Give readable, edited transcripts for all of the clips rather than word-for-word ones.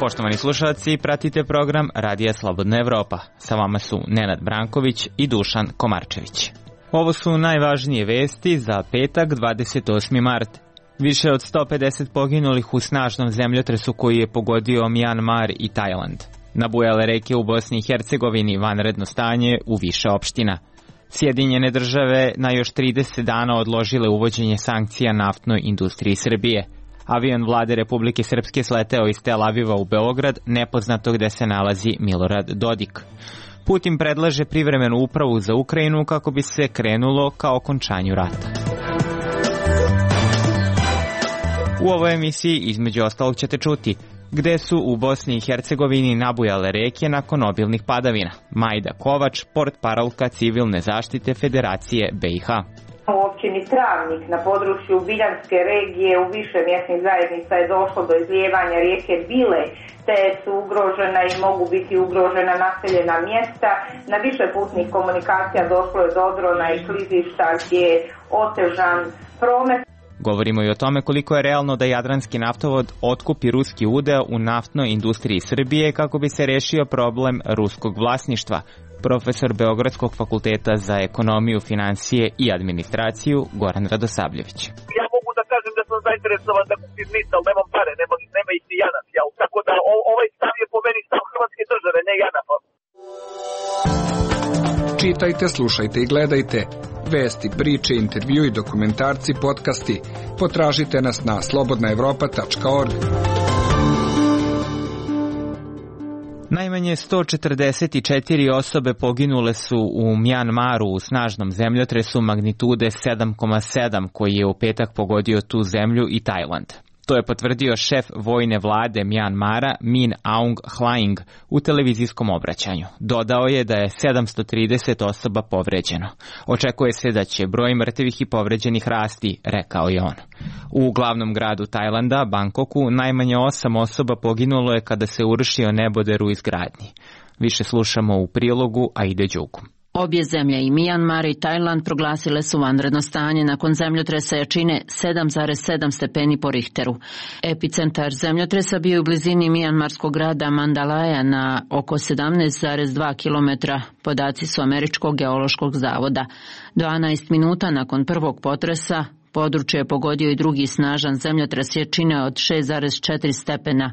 Poštovani slušalci, pratite program Radija Slobodna Evropa. Sa vama su Nenad Branković i Dušan Komarčević. Ovo su najvažnije vesti za petak 28. mart. Više od 150 poginulih u snažnom zemljotresu koji je pogodio Mjanmar i Tajland. Nabujale reke u Bosni i Hercegovini, vanredno stanje u više opština. Sjedinjene države na još 30 dana odložile uvođenje sankcija naftnoj industriji Srbije. Avion vlade Republike Srpske sleteo iz Tel Aviva u Beograd, nepoznato gde se nalazi Milorad Dodik. Putin predlaže privremenu upravu za Ukrajinu kako bi se krenulo ka okončanju rata. U ovoj emisiji između ostalog ćete čuti gde su u Bosni i Hercegovini nabujale reke nakon obilnih padavina. Majda Kovač, portparolka civilne zaštite Federacije BiH. U općini Travnik na području Biljanske regije u više mjesnih zajednica je došlo do izlijevanja rijeke Bile, te su ugrožena i mogu biti ugrožena naseljena mjesta. Na više putnih komunikacija došlo je do odrona i klizišta gdje je otežan promet. Govorimo i o tome koliko je realno da Jadranski naftovod otkupi ruski udeo u naftnoj industriji Srbije kako bi se rešio problem ruskog vlasništva. Profesor Beogradskog fakulteta za ekonomiju, financije i administraciju Goran Radosavljević. Ja mogu da kažem da sam zainteresovan da kupim NIS, ali nemam pare, nema ih ni JANAF. Tako da ovaj stav je po meni stav Hrvatske države, ne JANAF-a. Čitajte, slušajte i gledajte vesti, priče, intervju i dokumentarci, podcasti. Potražite nas na slobodnaevropa.org. Najmanje 144 osobe poginule su u Mjanmaru u snažnom zemljotresu magnitude 7,7 koji je u petak pogodio tu zemlju i Tajland. To je potvrdio šef vojne vlade Mjanmara Min Aung Hlaing u televizijskom obraćanju. Dodao je da je 730 osoba povređeno. Očekuje se da će broj mrtvih i povređenih rasti, rekao je on. U glavnom gradu Tajlanda, Bangkoku, najmanje 8 osoba poginulo je kada se urušio neboder u izgradnji. Više slušamo u prilogu Aide Đugu. Obje zemlje, i Mjanmar i Tajland, proglasile su vanredno stanje nakon zemljotresa jačine 7,7 stepeni po Richteru. Epicentar zemljotresa bio je u blizini mjanmarskog grada Mandalaja na oko 17,2 km, podaci su Američkog geološkog zavoda. 12 minuta nakon prvog potresa područje je pogodio i drugi snažan zemljotres jačine od 6,4 stepena.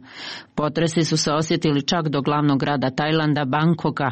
Potresi su se osjetili čak do glavnog grada Tajlanda, Bangkoka,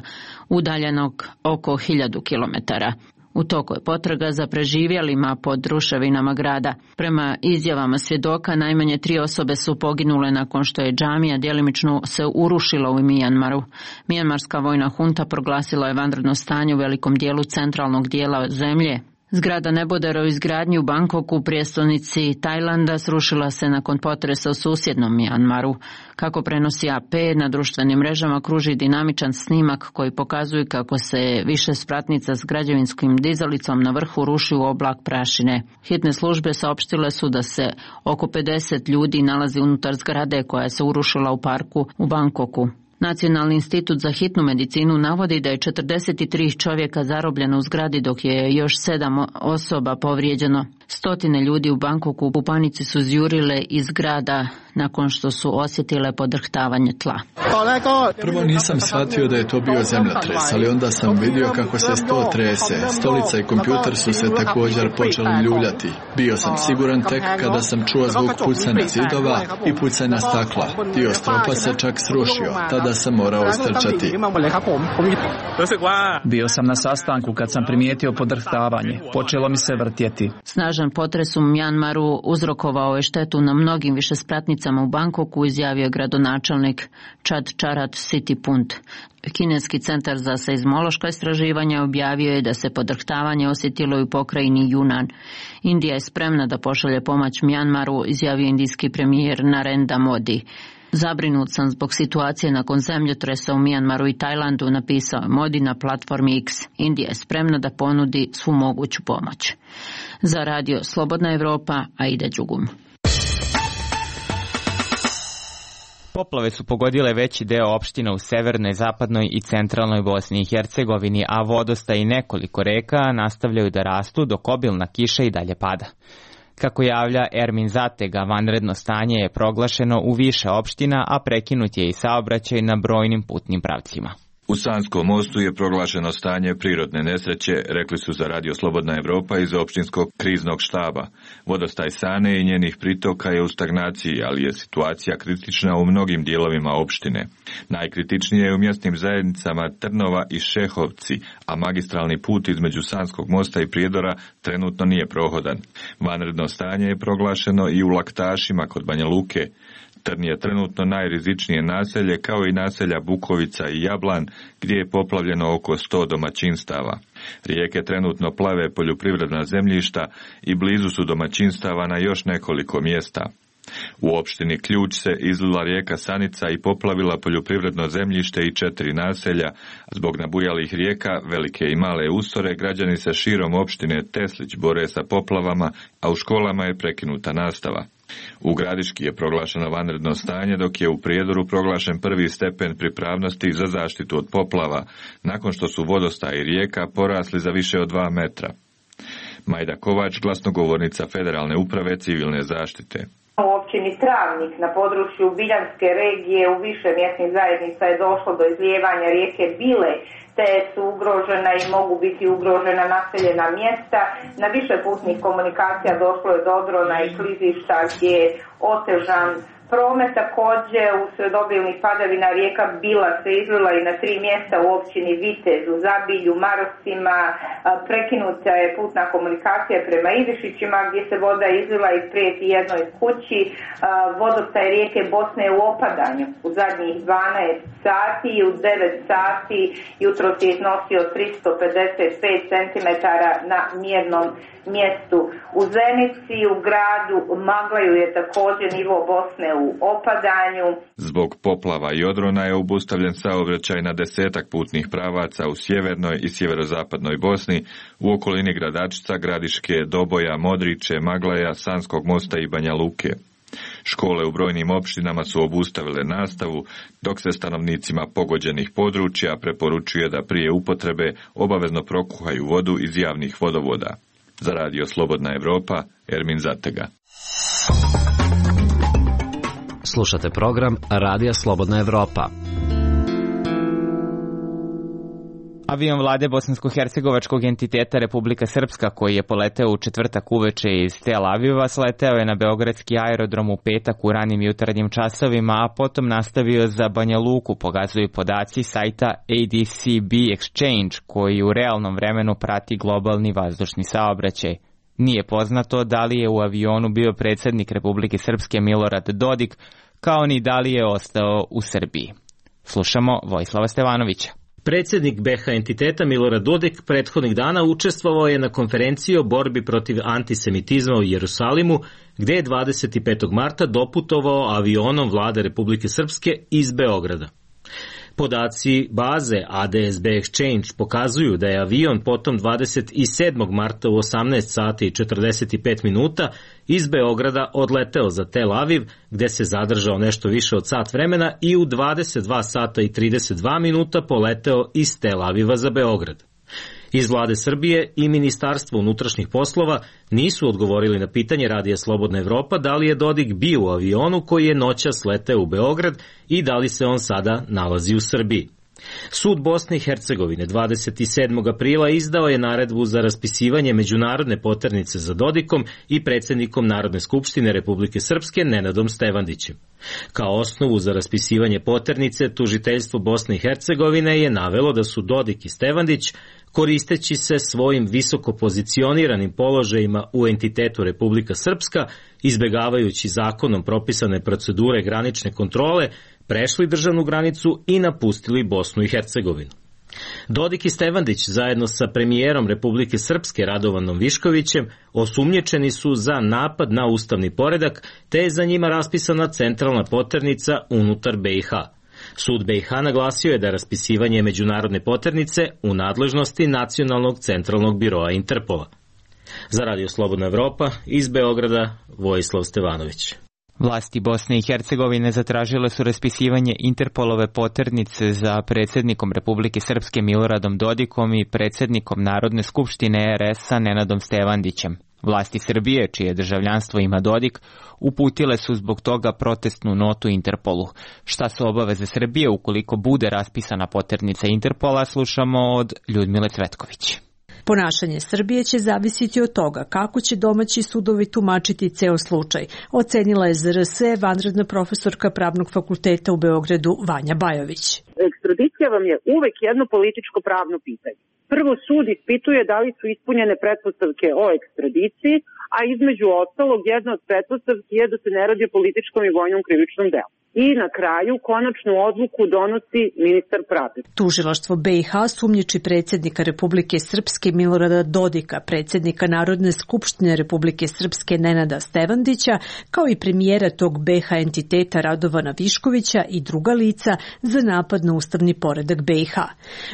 udaljenog oko 1000 kilometara. U toku je potraga za preživjelima pod ruševinama grada. Prema izjavama svjedoka, najmanje 3 osobe su poginule nakon što je džamija djelimično se urušila u Mjanmaru. Mjanmarska vojna hunta proglasila je vanredno stanje u velikom dijelu centralnog dijela zemlje. Zgrada nebodera u izgradnji u Bangkoku, prijestolnici Tajlanda, srušila se nakon potresa u susjednom Mjanmaru. Kako prenosi AP, na društvenim mrežama kruži dinamičan snimak koji pokazuje kako se više spratnica s građevinskim dizalicom na vrhu ruši u oblak prašine. Hitne službe saopštile su da se oko 50 ljudi nalazi unutar zgrade koja se urušila u parku u Bangkoku. Nacionalni institut za hitnu medicinu navodi da je 43 čovjeka zarobljeno u zgradi, dok je još 7 osoba povrijeđeno. Stotine ljudi u Bangkoku u panici su zjurile iz grada nakon što su osjetile podrhtavanje tla. Prvo nisam shvatio da je to bio zemljotres, ali onda sam vidio kako se sto trese. Stolica i kompjuter su se također počeli ljuljati. Bio sam siguran tek kada sam čuo zvuk pucanja zidova i pucanja stakla. Dio stropa se čak srušio. Tada sam morao istrčati. Bio sam na sastanku kad sam primijetio podrhtavanje. Počelo mi se vrtjeti. Snažan potres u Mjanmaru uzrokovao je štetu na mnogim višespratnicama u Bangkoku, izjavio gradonačelnik Chadcharat Sitipult. Kineski centar za seizmološka istraživanja objavio je da se podrhtavanje osjetilo i u pokrajini Yunnan. Indija je spremna da pošalje pomoć Mjanmaru, izjavio indijski premijer Narendra Modi. Zabrinut sam zbog situacije nakon zemljotresa u Mjanmaru i Tajlandu, napisao je Modi na platformi X. Indija je spremna da ponudi svu moguću pomoć. Za radio Slobodna Evropa, Aida Đugum. Poplave su pogodile veći deo opština u severnoj, zapadnoj i centralnoj Bosni i Hercegovini, a vodostaj i nekoliko reka nastavljaju da rastu dok obilna kiša i dalje pada. Kako javlja Ermin Zatega, vanredno stanje je proglašeno u više opština, a prekinut je i saobraćaj na brojnim putnim pravcima. U Sanskom mostu je proglašeno stanje prirodne nesreće, rekli su za Radio Slobodna Evropa iz opštinskog kriznog štaba. Vodostaj Sane i njenih pritoka je u stagnaciji, ali je situacija kritična u mnogim dijelovima opštine. Najkritičnije je u mjesnim zajednicama Trnova i Šehovci, a magistralni put između Sanskog mosta i Prijedora trenutno nije prohodan. Vanredno stanje je proglašeno i u Laktašima kod Banja Luke. Trn je trenutno najrizičnije naselje, kao i naselja Bukovica i Jablan, gdje je poplavljeno oko 100 domaćinstava. Rijeke trenutno plave poljoprivredna zemljišta i blizu su domaćinstava na još nekoliko mjesta. U opštini Ključ se izlila rijeka Sanica i poplavila poljoprivredno zemljište i 4 naselja. Zbog nabujalih rijeka, velike i male ustore, građani se širom opštine Teslić bore sa poplavama, a u školama je prekinuta nastava. U Gradiški je proglašeno vanredno stanje, dok je u Prijedoru proglašen prvi stepen pripravnosti za zaštitu od poplava, nakon što su vodostaji rijeka porasli za više od 2 metra. Majda Kovač, glasnogovornica Federalne uprave civilne zaštite. U općini Travnik na području Biljanske regije u više mjesnih zajednica je došlo do izlijevanja rijeke Bile, te su ugrožena i mogu biti ugrožena naseljena mjesta. Na više putnih komunikacija došlo je do odrona i klizišta gdje je otežan promet. Također usred obilnih padavina rijeka Bila se izlila i na 3 mjesta u općini Vitez, u Zabilju, Marosima. Prekinuta je putna komunikacija prema Ivišićima gdje se voda izlila i prijeti jednoj kući. Vodostaj rijeke Bosne je u opadanju u zadnjih 12 sati i u 9 sati jutros je iznosio 355 cm na mjernom mjestu. U Zenici, u gradu Maglaju je također nivo Bosne u opadanju. Zbog poplava i odrona je obustavljen saobraćaj na 10-ak putnih pravaca u sjevernoj i sjeverozapadnoj Bosni, u okolini Gradačca, Gradiške, Doboja, Modriče, Maglaja, Sanskog mosta i Banja Luke. Škole u brojnim opštinama su obustavile nastavu, dok se stanovnicima pogođenih područja preporučuje da prije upotrebe obavezno prokuhaju vodu iz javnih vodovoda. Za Radio Slobodna Evropa, Ermin Zatega. Slušate program Radija Slobodna Evropa. Avion vlade bosansko-hercegovačkog entiteta Republika Srpska, koji je poleteo u četvrtak uveče iz Tel Aviva, sleteo je na beogradski aerodrom u petak u ranim jutarnjim časovima, a potom nastavio za Banja Luku, pokazuju podaci sajta ADCB Exchange, koji u realnom vremenu prati globalni vazdušni saobraćaj. Nije poznato da li je u avionu bio predsjednik Republike Srpske Milorad Dodik, kao ni da li je ostao u Srbiji. Slušamo Vojislava Stevanovića. Predsjednik BiH entiteta Milorad Dodik prethodnih dana učestvovao je na konferenciji o borbi protiv antisemitizma u Jerusalimu, gdje je 25. marta doputovao avionom vlade Republike Srpske iz Beograda. Podaci baze ADSB Exchange pokazuju da je avion potom 27. marta u 18 sati i 45 minuta iz Beograda odleteo za Tel Aviv, gdje se zadržao nešto više od sat vremena i u 22 sata i 32 minuta poleteo iz Tel Aviva za Beograd. Iz vlade Srbije i Ministarstvo unutrašnjih poslova nisu odgovorili na pitanje Radija Slobodna Evropa da li je Dodik bio u avionu koji je noćas leteo u Beograd i da li se on sada nalazi u Srbiji. Sud Bosne i Hercegovine 27. aprila izdao je naredbu za raspisivanje međunarodne poternice za Dodikom i predsjednikom Narodne skupštine Republike Srpske Nenadom Stevandićem. Kao osnovu za raspisivanje poternice, tužiteljstvo Bosne i Hercegovine je navelo da su Dodik i Stevandić, koristeći se svojim visoko pozicioniranim položajima u entitetu Republika Srpska, izbjegavajući zakonom propisane procedure granične kontrole, prešli državnu granicu i napustili Bosnu i Hercegovinu. Dodik i Stevandić zajedno sa premijerom Republike Srpske Radovanom Viškovićem osumnjičeni su za napad na ustavni poredak, te je za njima raspisana centralna poternica unutar BiH. Sud BiH naglasio je da raspisivanje međunarodne poternice u nadležnosti Nacionalnog centralnog biroa Interpola. Za Radio Slobodna Evropa iz Beograda, Vojislav Stevanović. Vlasti Bosne i Hercegovine zatražile su raspisivanje Interpolove poternice za predsjednikom Republike Srpske Miloradom Dodikom i predsjednikom Narodne skupštine RS-a Nenadom Stevandićem. Vlasti Srbije, čije državljanstvo ima Dodik, uputile su zbog toga protestnu notu Interpolu. Šta su obaveze Srbije ukoliko bude raspisana poternica Interpola, slušamo od Ljudmile Cvetković. Ponašanje Srbije će zavisiti od toga kako će domaći sudovi tumačiti ceo slučaj, ocenila je ZRS vanredna profesorka Pravnog fakulteta u Beogradu Vanja Bajović. Ekstradicija vam je uvek jedno političko pravno pitanje. Prvo sud ispituje da li su ispunjene pretpostavke o ekstradiciji, a između ostalog jedna od pretpostavki je da se ne radi o političkom i vojnom krivičnom delu. I na kraju konačnu odluku donosi ministar pravde. Tužilaštvo BiH sumnjiči predsjednika Republike Srpske Milorada Dodika, predsjednika Narodne skupštine Republike Srpske Nenada Stevandića, kao i premijera tog BiH entiteta Radovana Viškovića i druga lica za napad na ustavni poredak BiH.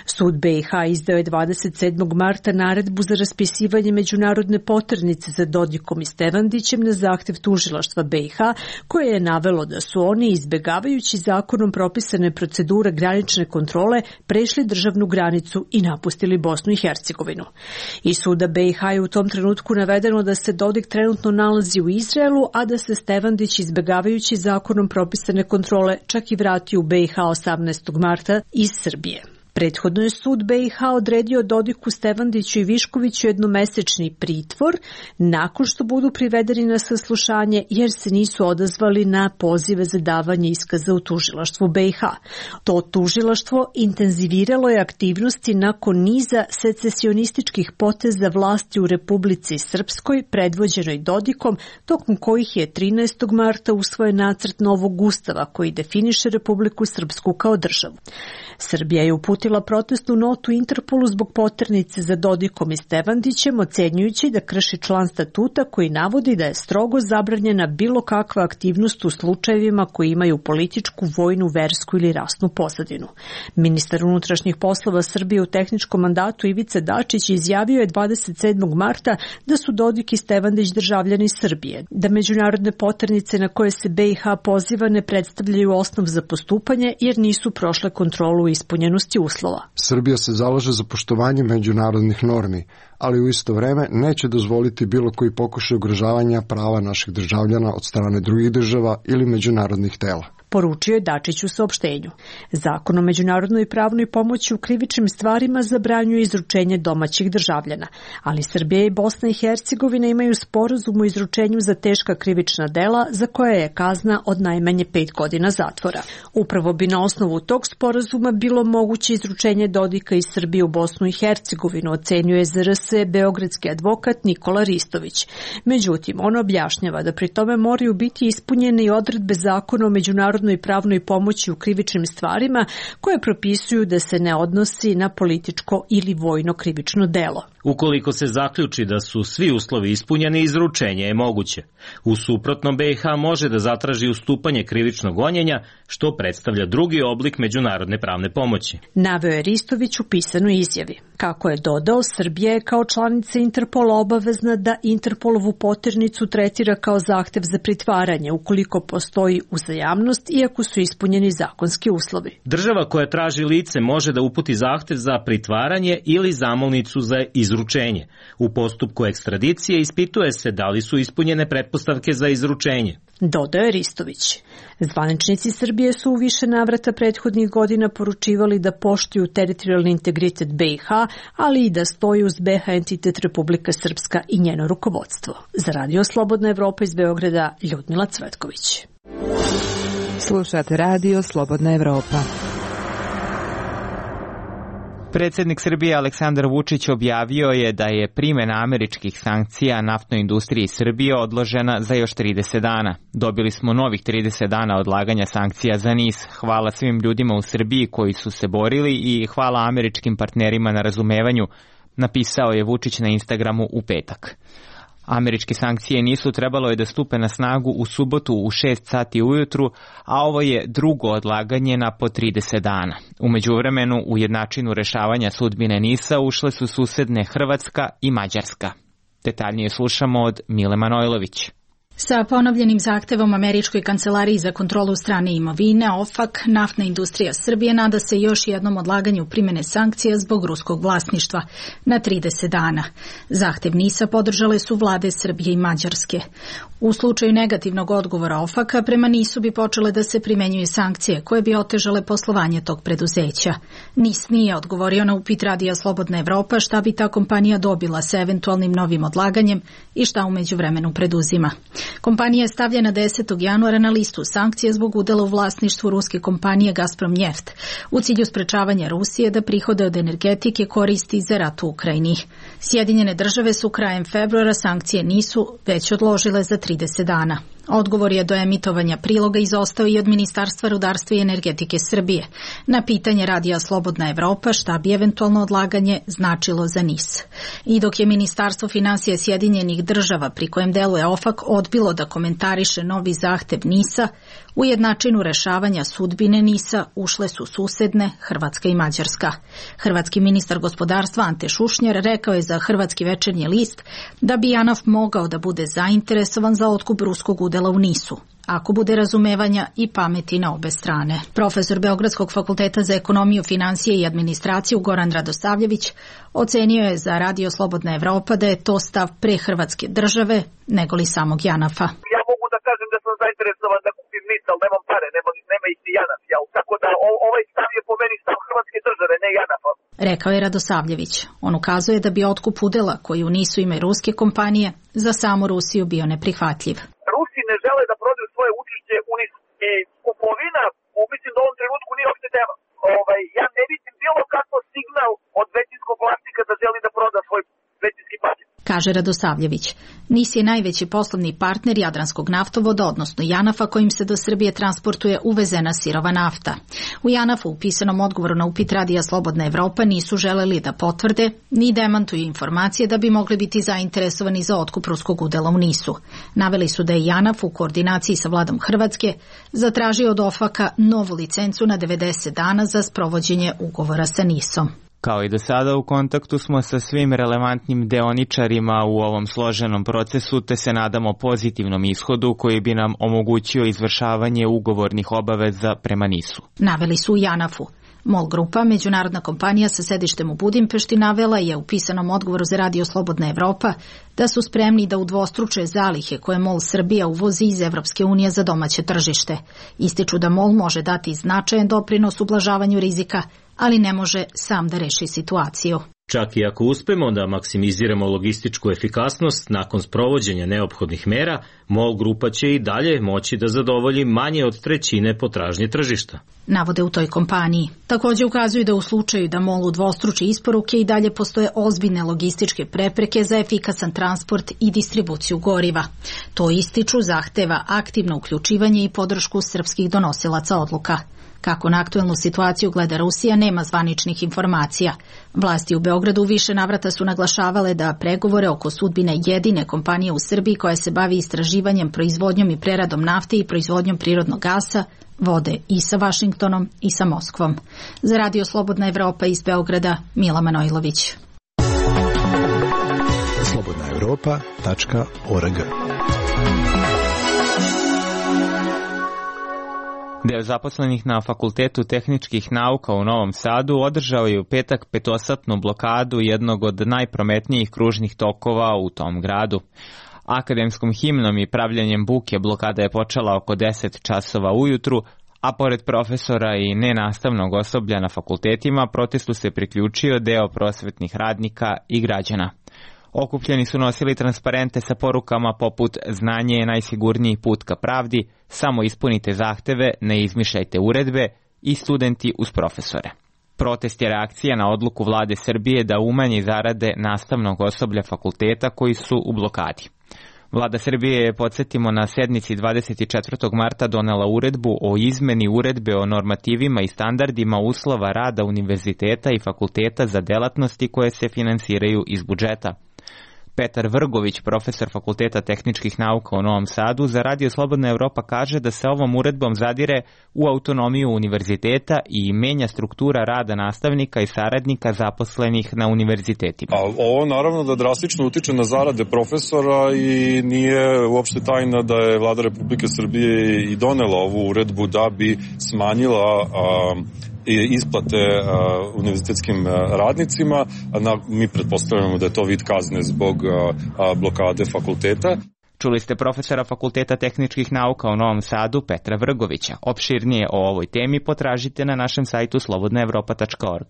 Sud BiH izdao je 27. marta naredbu za raspisivanje međunarodne poternice za Dodikom i Stevandićem na zahtev tužilaštva BiH, koje je navelo da su oni izbegavajući zakonom propisane procedure granične kontrole prešli državnu granicu i napustili Bosnu i Hercegovinu. Iz suda BiH je u tom trenutku navedeno da se Dodik trenutno nalazi u Izraelu, a da se Stevandić izbegavajući zakonom propisane kontrole čak i vratio u BiH 18. marta iz Srbije. Prethodno je sud BiH odredio Dodiku, Stevandiću i Viškoviću jednomesečni pritvor nakon što budu privedeni na saslušanje jer se nisu odazvali na pozive za davanje iskaza u tužilaštvu BiH. To tužilaštvo intenziviralo je aktivnosti nakon niza secesionističkih poteza vlasti u Republici Srpskoj predvođenoj Dodikom, tokom kojih je 13. marta usvojen nacrt novog ustava koji definiše Republiku Srpsku kao državu. Srbija je uputila protestnu notu Interpolu zbog poternice za Dodikom i Stevandićem, ocenjujući da krši član statuta koji navodi da je strogo zabranjena bilo kakva aktivnost u slučajevima koji imaju političku, vojnu, versku ili rasnu pozadinu. Ministar unutrašnjih poslova Srbije u tehničkom mandatu Ivica Dačić izjavio je 27. marta da su Dodik i Stevandić državljani Srbije, da međunarodne poternice na koje se BiH poziva ne predstavljaju osnov za postupanje jer nisu prošle kontrolu ispunjenosti uslova. Srbija se zalaže za poštovanje međunarodnih normi, ali u isto vreme neće dozvoliti bilo koji pokušaj ugrožavanja prava naših državljana od strane drugih država ili međunarodnih tela. Poručio je Dačić u saopštenju. Zakon o međunarodnoj pravnoj pomoći u krivičnim stvarima zabranjuje izručenje domaćih državljana, ali Srbija i Bosna i Hercegovina imaju sporazum o izručenju za teška krivična dela za koje je kazna od najmanje 5 godina zatvora. Upravo bi na osnovu tog sporazuma bilo moguće izručenje Dodika iz Srbije u Bosnu i Hercegovinu, ocenjuje ZRS beogradski advokat Nikola Ristović. Međutim, on objašnjava da pri tome moraju biti ispunjene i odredbe zakona o međunarodnoj pravnoj pomoći u krivičnim stvarima koje propisuju da se ne odnosi na političko ili vojno krivično delo. Ukoliko se zaključi da su svi uslovi ispunjeni, izručenje je moguće. U suprotnom, BiH može da zatraži ustupanje krivičnog gonjenja, što predstavlja drugi oblik međunarodne pravne pomoći. Naveo je Ristović u pisanoj izjavi. Kako je dodao, Srbija je kao članica Interpola obavezna da Interpolovu poternicu tretira kao zahtev za pritvaranje ukoliko postoji uzajamnost i ako su ispunjeni zakonski uslovi. Država koja traži lice može da uputi zahtev za pritvaranje ili zamolnicu za izručenje. U postupku ekstradicije ispituje se da li su ispunjene pretpostavke za izručenje. Dodao je Ristović. Zvaničnici Srbije su u više navrata prethodnih godina poručivali da poštuju teritorijalni integritet BiH, ali i da stoji uz BiH entitet Republika Srpska i njeno rukovodstvo. Za Radio Slobodna Evropa iz Beograda, Ljudmila Cvetković. Slušate Radio Slobodna Evropa. Predsjednik Srbije Aleksandar Vučić objavio je da je primjena američkih sankcija naftnoj industriji Srbije odložena za još 30 dana. Dobili smo novih 30 dana odlaganja sankcija za NIS. Hvala svim ljudima u Srbiji koji su se borili i hvala američkim partnerima na razumevanju, napisao je Vučić na Instagramu u petak. Američke sankcije nisu trebalo je da stupe na snagu u subotu u 6 sati ujutru, a ovo je drugo odlaganje na po 30 dana. U međuvremenu u jednačinu rešavanja sudbine NIS-a ušle su susedne Hrvatska i Mađarska. Detaljnije slušamo od Mile Manojlović. Sa ponovljenim zahtevom Američkoj kancelariji za kontrolu strane imovine, OFAC, Naftna industrija Srbije nada se još jednom odlaganju primjene sankcija zbog ruskog vlasništva na 30 dana. Zahtev NIS-a podržale su vlade Srbije i Mađarske. U slučaju negativnog odgovora OFAC-a prema NIS-u bi počele da se primenjuju sankcije koje bi otežale poslovanje tog preduzeća. NIS nije odgovorio na upit Radija Slobodna Evropa šta bi ta kompanija dobila sa eventualnim novim odlaganjem i šta u međuvremenu preduzima. Kompanija je stavljena 10. januara na listu sankcija zbog udela u vlasništvu ruske kompanije Gazprom Njeft u cilju sprečavanja Rusije da prihode od energetike koristi za rat u Ukrajini. Sjedinjene države su krajem februara sankcije nisu već odložile za 30 dana. Odgovor je do emitovanja priloga izostao i od Ministarstva rudarstva i energetike Srbije. Na pitanje Radija Slobodna Evropa šta bi eventualno odlaganje značilo za NIS. I dok je Ministarstvo finansija Sjedinjenih država, pri kojem deluje OFAC, odbilo da komentariše novi zahtev NIS-a, u jednačinu rešavanja sudbine NIS-a ušle su susedne Hrvatska i Mađarska. Hrvatski ministar gospodarstva Ante Šušnjar rekao je za Hrvatski večernji list da bi JANAF mogao da bude zainteresovan za otkup ruskog udela u NIS-u, ako bude razumevanja i pameti na obe strane. Profesor Beogradskog fakulteta za ekonomiju, finansije i administraciju Goran Radosavljević ocenio je za Radio Slobodna Evropa da je to stav pre Hrvatske države nego li samog JANAF-a. Ja mogu da kažem da sam zainteresovan da kupim NIS, ali nemam pare, nema ih ni JANAF, tako da ovaj stav je po meni stav Hrvatske države, ne JANAF-a. Rekao je Radosavljević. On ukazuje da bi otkup udela koji u NIS-u imaju ruske kompanije za samu Rusiju bio neprihvatljiv. Rusi ne žele da prodaju svoje učešće u NIS i kupovina, mislim da u ovom trenutku nije uopšte tema. Ja ne vidim bilo kakvo signal od većinskog vlasnika da želi da proda svoj većinski paket. Kaže Radosavljević. NIS je najveći poslovni partner Jadranskog naftovoda, odnosno JANAF-a, kojim se do Srbije transportuje uvezena sirova nafta. U JANAF-u u pisanom odgovoru na upit Radija Slobodna Evropa nisu želeli da potvrde ni demantuju informacije da bi mogli biti zainteresovani za otkup ruskog udela u NIS-u. Naveli su da je JANAF u koordinaciji sa vladom Hrvatske zatražio od OFAC-a novu licencu na 90 dana za sprovođenje ugovora sa NIS-om. Kao i do sada, u kontaktu smo sa svim relevantnim deoničarima u ovom složenom procesu, te se nadamo pozitivnom ishodu koji bi nam omogućio izvršavanje ugovornih obaveza prema NIS-u. Naveli su u JANAF-u. MOL Grupa, međunarodna kompanija sa sedištem u Budimpešti, navela je u pisanom odgovoru za Radio Slobodna Evropa da su spremni da udvostruče zalihe koje MOL Srbija uvozi iz Evropske unije za domaće tržište. Ističu da MOL može dati značajan doprinos ublažavanju rizika, ali ne može sam da reši situaciju. Čak i ako uspemo da maksimiziramo logističku efikasnost nakon sprovođenja neophodnih mera, MOL Grupa će i dalje moći da zadovolji manje od trećine potražnje tržišta. Navode u toj kompaniji. Također ukazuju da u slučaju da MOL udvostruči isporuke i dalje postoje ozbiljne logističke prepreke za efikasan transport i distribuciju goriva. To ističu zahteva aktivno uključivanje i podršku srpskih donosilaca odluka. Kako na aktuelnu situaciju gleda Rusija, nema zvaničnih informacija. Vlasti u Beogradu više navrata su naglašavale da pregovore oko sudbine jedine kompanije u Srbiji koja se bavi istraživanjem, proizvodnjom i preradom nafte i proizvodnjom prirodnog gasa vode i sa Vašingtonom i sa Moskvom. Za Radio Slobodna Evropa iz Beograda, Mila Manojlović. slobodnaevropa.org. Deo zaposlenih na Fakultetu tehničkih nauka u Novom Sadu održao je u petak petosatnu blokadu jednog od najprometnijih kružnih tokova u tom gradu. Akademskom himnom i pravljenjem buke blokada je počela oko 10 časova ujutru, a pored profesora i nenastavnog osoblja na fakultetima protestu se priključio deo prosvetnih radnika i građana. Okupljeni su nosili transparente sa porukama poput "Znanje je najsigurniji put ka pravdi", "Samo ispunite zahteve, ne izmišljajte uredbe" i "Studenti uz profesore". Protest je reakcija na odluku vlade Srbije da umanji zarade nastavnog osoblja fakulteta koji su u blokadi. Vlada Srbije je, podsjetimo, na sednici 24. marta donela uredbu o izmeni uredbe o normativima i standardima uslova rada univerziteta i fakulteta za delatnosti koje se finansiraju iz budžeta. Petar Vrgović, profesor Fakulteta tehničkih nauka u Novom Sadu, za Radio Slobodna Evropa kaže da se ovom uredbom zadire u autonomiju univerziteta i menja struktura rada nastavnika i saradnika zaposlenih na univerzitetima. Ovo naravno da drastično utiče na zarade profesora i nije uopšte tajna da je Vlada Republike Srbije i donela ovu uredbu da bi smanjila isplate univerzitetskim radnicima. Mi pretpostavljamo da je to vid kazne zbog blokade fakulteta. Čuli ste profesora Fakulteta tehničkih nauka u Novom Sadu Petra Vrgovića. Opširnije o ovoj temi potražite na našem sajtu slobodnaevropa.org.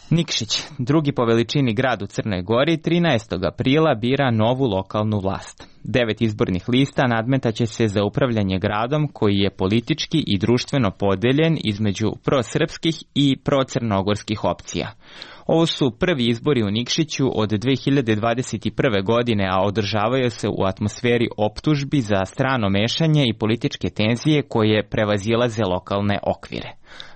Nikšić, drugi po veličini grad u Crnoj Gori, 13. aprila bira novu lokalnu vlast. 9 izbornih lista nadmetaće se za upravljanje gradom koji je politički i društveno podeljen između prosrpskih i procrnogorskih opcija. Ovo su prvi izbori u Nikšiću od 2021. godine, a održavaju se u atmosferi optužbi za strano mešanje i političke tenzije koje prevazilaze lokalne okvire.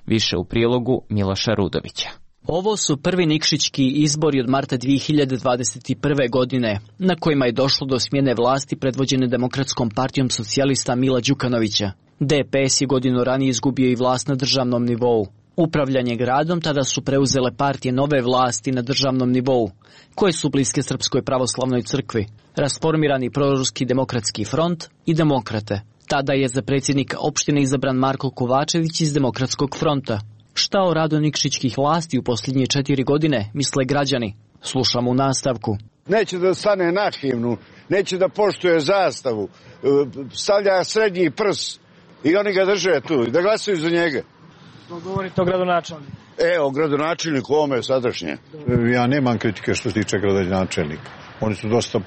Više u prilogu Miloša Rudovića. Ovo su prvi nikšićki izbori od marta 2021. godine, na kojima je došlo do smjene vlasti predvođene Demokratskom partijom socijalista Mila Đukanovića. DPS je godinu ranije izgubio i vlast na državnom nivou. Upravljanje gradom tada su preuzele partije nove vlasti na državnom nivou, koje su bliske Srpskoj pravoslavnoj crkvi, rasformirani proruski demokratski front i demokrate. Tada je za predsjednika opštine izabran Marko Kovačević iz Demokratskog fronta. Šta o radu nikšićkih vlasti u posljednje 4 godine misle građani? Slušamo u nastavku. Neće da stane na himnu, neće da poštuje zastavu, stavlja srednji prs i oni ga drže tu i da glasaju za njega. Govorite o gradonačelniku? O gradonačelniku, ovome sadašnje. Ja nemam kritike što se tiče gradonačelnika. Oni su dosta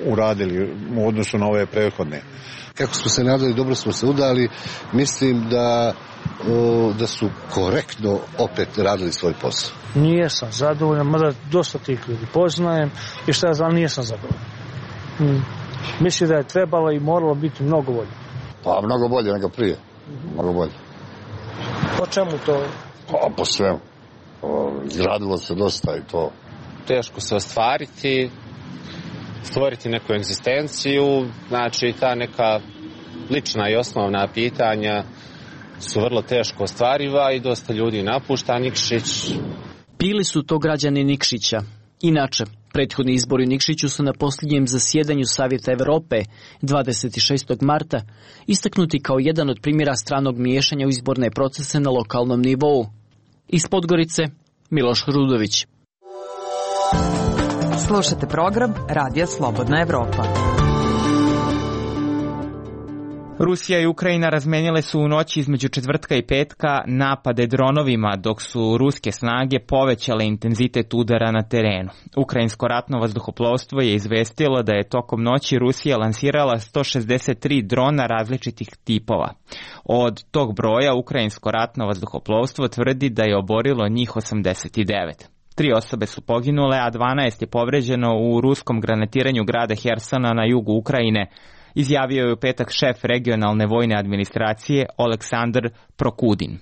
uradili u odnosu na ove prethodne. Kako smo se nadali, dobro smo se udali. Mislim da su korektno opet radili svoj posao. Nijesam zadovoljan, mada dosta tih ljudi poznajem i šta ja znam, nijesam zadovoljan. Mislim da je trebalo i moralo biti mnogo bolje. Pa mnogo bolje nego prije. Mnogo bolje. Po čemu to? Pa po svemu. Gradilo se dosta i to. Teško se ostvariti, stvoriti neku egzistenciju, znači ta neka lična i osnovna pitanja su vrlo teško ostvariva i dosta ljudi napušta Nikšić. Bili su to građani Nikšića. Inače, prethodni izbori u Nikšiću su na posljednjem zasjedanju Savjeta Evrope 26. marta istaknuti kao jedan od primjera stranog miješanja u izborne procese na lokalnom nivou. Iz Podgorice, Miloš Rudović. Slušate program Radija Slobodna Evropa. Rusija i Ukrajina razmenile su u noći između četvrtka i petka napade dronovima, dok su ruske snage povećale intenzitet udara na terenu. Ukrajinsko ratno vazduhoplovstvo je izvestilo da je tokom noći Rusija lansirala 163 drona različitih tipova. Od tog broja Ukrajinsko ratno vazduhoplovstvo tvrdi da je oborilo njih 89. 3 osobe su poginule, a 12 je povređeno u ruskom granatiranju grada Hersona na jugu Ukrajine, izjavio je u petak šef regionalne vojne administracije Oleksandr Prokudin.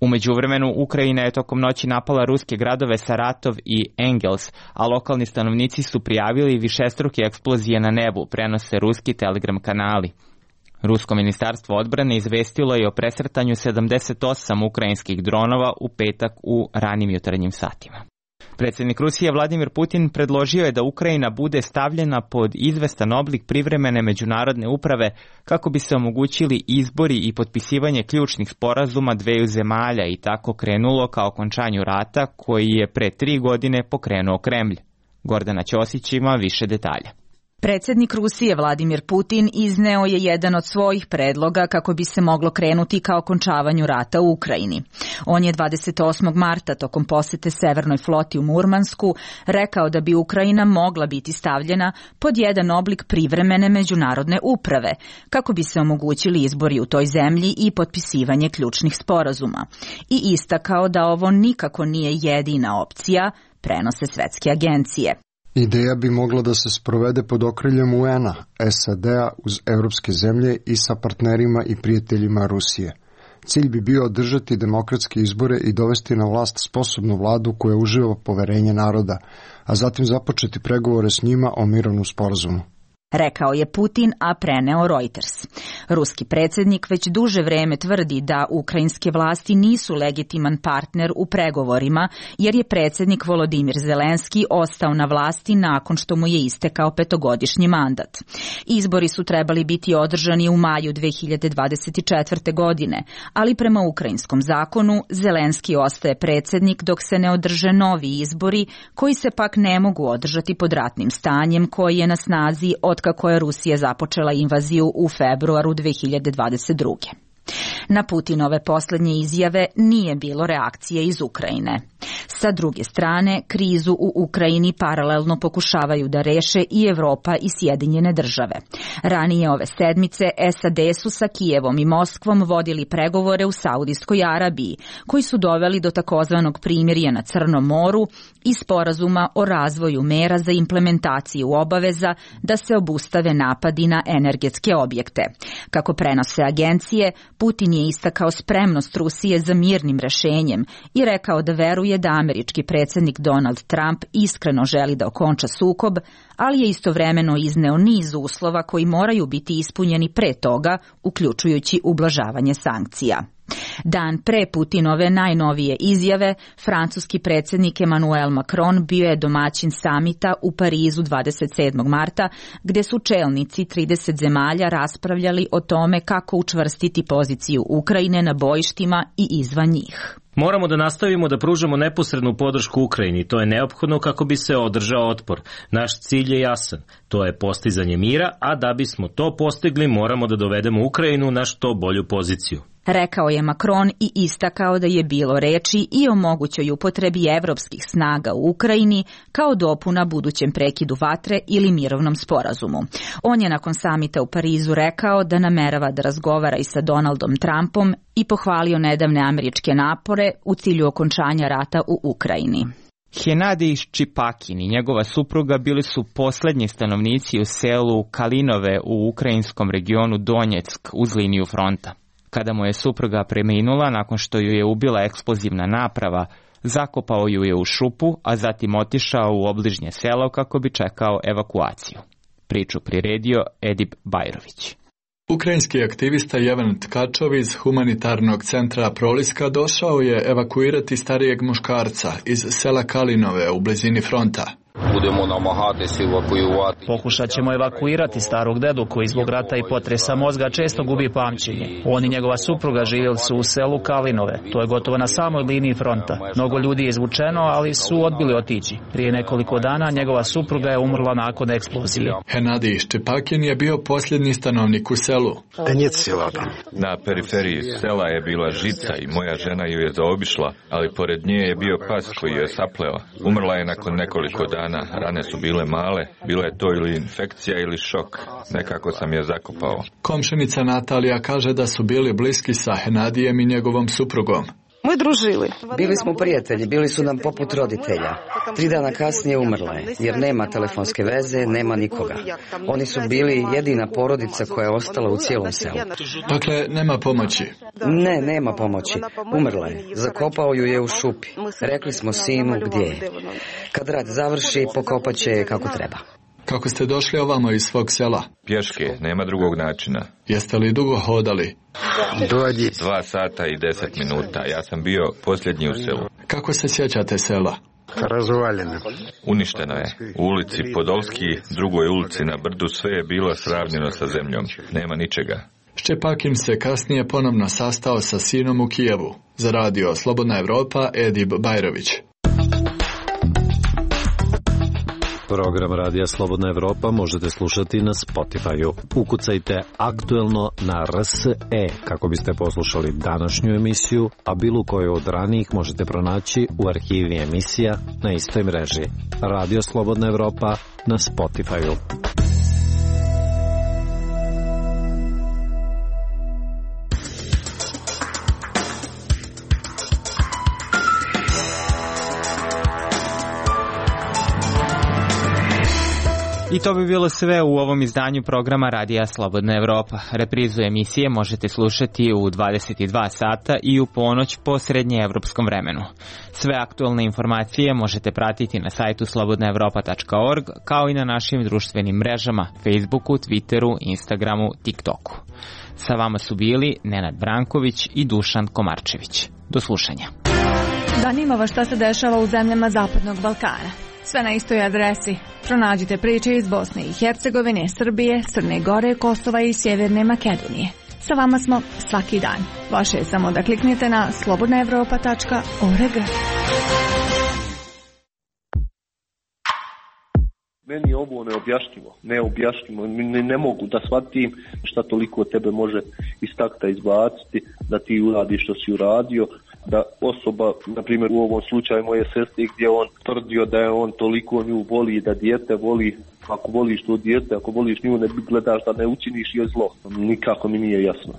U međuvremenu Ukrajina je tokom noći napala ruske gradove Saratov i Engels, a lokalni stanovnici su prijavili višestruke eksplozije na nebu, prenose ruski telegram kanali. Rusko ministarstvo odbrane izvestilo je o presretanju 78 ukrajinskih dronova u petak u ranim jutarnjim satima. Predsjednik Rusije Vladimir Putin predložio je da Ukrajina bude stavljena pod izvestan oblik privremene međunarodne uprave kako bi se omogućili izbori i potpisivanje ključnih sporazuma dveju zemalja i tako krenulo ka okončanju rata koji je pre 3 godine pokrenuo Kremlj. Gordana Ćosić ima više detalja. Predsjednik Rusije Vladimir Putin izneo je jedan od svojih predloga kako bi se moglo krenuti ka okončavanju rata u Ukrajini. On je 28. marta tokom posete Severnoj floti u Murmansku rekao da bi Ukrajina mogla biti stavljena pod jedan oblik privremene međunarodne uprave kako bi se omogućili izbori u toj zemlji i potpisivanje ključnih sporazuma. I istakao da ovo nikako nije jedina opcija, prenose svetske agencije. Ideja bi mogla da se sprovede pod okriljem UN-a, SAD-a uz evropske zemlje i sa partnerima i prijateljima Rusije. Cilj bi bio održati demokratske izbore i dovesti na vlast sposobnu vladu koja uživa poverenje naroda, a zatim započeti pregovore s njima o mirovnom sporazumu. Rekao je Putin, a preneo Reuters. Ruski predsjednik već duže vreme tvrdi da ukrajinske vlasti nisu legitiman partner u pregovorima, jer je predsjednik Volodimir Zelenski ostao na vlasti nakon što mu je istekao 5-godišnji mandat. Izbori su trebali biti održani u maju 2024. godine, ali prema ukrajinskom zakonu Zelenski ostaje predsjednik dok se ne održe novi izbori, koji se pak ne mogu održati pod ratnim stanjem koji je na snazi od kako je Rusija započela invaziju u februaru 2022. Na Putinove posljednje izjave nije bilo reakcije iz Ukrajine. Sa druge strane, krizu u Ukrajini paralelno pokušavaju da reše i Evropa i Sjedinjene države. Ranije ove sedmice SAD su sa Kijevom i Moskvom vodili pregovore u Saudijskoj Arabiji, koji su doveli do takozvanog primirja na Crnom moru i sporazuma o razvoju mera za implementaciju obaveza da se obustave napadi na energetske objekte. Kako prenose agencije, Putin je istakao spremnost Rusije za mirnim rešenjem i rekao da veruje da američki predsjednik Donald Trump iskreno želi da okonča sukob, ali je istovremeno izneo niz uslova koji moraju biti ispunjeni pre toga, uključujući ublažavanje sankcija. Dan pre Putinove najnovije izjave, francuski predsjednik Emmanuel Macron bio je domaćin samita u Parizu 27. marta, gdje su čelnici 30 zemalja raspravljali o tome kako učvrstiti poziciju Ukrajine na bojištima i izvan njih. Moramo da nastavimo da pružamo neposrednu podršku Ukrajini. To je neophodno kako bi se održao otpor. Naš cilj je jasan. To je postizanje mira, a da bismo to postigli moramo da dovedemo Ukrajinu na što bolju poziciju. Rekao je Macron i istakao da je bilo reči i o mogućoj upotrebi evropskih snaga u Ukrajini kao dopuna budućem prekidu vatre ili mirovnom sporazumu. On je nakon samita u Parizu rekao da namerava da razgovara i sa Donaldom Trumpom i pohvalio nedavne američke napore u cilju okončanja rata u Ukrajini. Henadij Ščipakin i njegova supruga bili su posljednji stanovnici u selu Kalinove u ukrajinskom regionu Donjeck uz liniju fronta. Kada mu je supruga preminula nakon što ju je ubila eksplozivna naprava, zakopao ju je u šupu, a zatim otišao u obližnje selo kako bi čekao evakuaciju. Priču priredio Edip Bajrović. Ukrajinski aktivista Jevan Tkačov iz humanitarnog centra Proliska došao je evakuirati starijeg muškarca iz sela Kalinove u blizini fronta. Pokušat ćemo evakuirati starog dedu koji zbog rata i potresa mozga često gubi pamćenje. On i njegova supruga živjeli su u selu Kalinove. To je gotovo na samoj liniji fronta. Mnogo ljudi je izvučeno, ali su odbili otići. Prije nekoliko dana njegova supruga je umrla nakon eksplozije. Henadij Ščipakin je bio posljednji stanovnik u selu. Na periferiji sela je bila žica i moja žena ju je zaobišla, ali pored nje je bio pas koji je sapleo. Umrla je nakon nekoliko dana. Rane su bile male, bila je to ili infekcija ili šok. Nekako sam je zakopao. Komšenica Natalija kaže da su bili bliski sa Henadijem i njegovom suprugom. Mi družili. Bili smo prijatelji, bili su nam poput roditelja. 3 dana kasnije umrla je, jer nema telefonske veze, nema nikoga. Oni su bili jedina porodica koja je ostala u cijelom selu. Dakle, nema pomoći? Ne, nema pomoći. Umrla je. Zakopao ju je u šupi. Rekli smo sinu gdje je. Kad rad završi, pokopat će je kako treba. Kako ste došli ovamo iz svog sela? Pješke, nema drugog načina. Jeste li dugo hodali? 2 sata i 10 minuta. Ja sam bio posljednji u selu. Kako se sjećate sela? Razvaljeno. Uništeno je. U ulici Podolski, drugoj ulici na brdu, sve je bilo sravnjeno sa zemljom. Nema ničega. Ščipakin se kasnije ponovno sastao sa sinom u Kijevu. Za radio Slobodna Evropa, Edip Bajrović. Program Radija Slobodna Evropa možete slušati na Spotify-u. Ukucajte aktuelno na RSE kako biste poslušali današnju emisiju, a bilo koju od ranijih možete pronaći u arhivi emisija na istoj mreži. Radio Slobodna Evropa na Spotify-u. I to bi bilo sve u ovom izdanju programa Radija Slobodna Evropa. Reprizu emisije možete slušati u 22 sata i u ponoć po srednjeevropskom vremenu. Sve aktualne informacije možete pratiti na sajtu slobodnaevropa.org, kao i na našim društvenim mrežama Facebooku, Twitteru, Instagramu, TikToku. Sa vama su bili Nenad Branković i Dušan Komarčević. Do slušanja. Zanima vas šta se dešava u zemljama Zapadnog Balkana. Sve na istoj adresi. Pronađite priče iz Bosne i Hercegovine, Srbije, Crne Gore, Kosova i Sjeverne Makedonije. Sa vama smo svaki dan. Vaše je samo da kliknete na slobodnaevropa.org. Meni je ovo neobjašnjivo. Ne mogu da shvatim šta toliko tebe može iz takta izbaciti, da ti uradiš što si uradio, da osoba, na primjer u ovom slučaju moje sestre, gdje on tvrdio da je on toliko nju voli, da dijete voli, ako voliš to dijete, ako voliš nju, ne gledaš da ne učiniš joj zlo. Nikako mi nije jasno.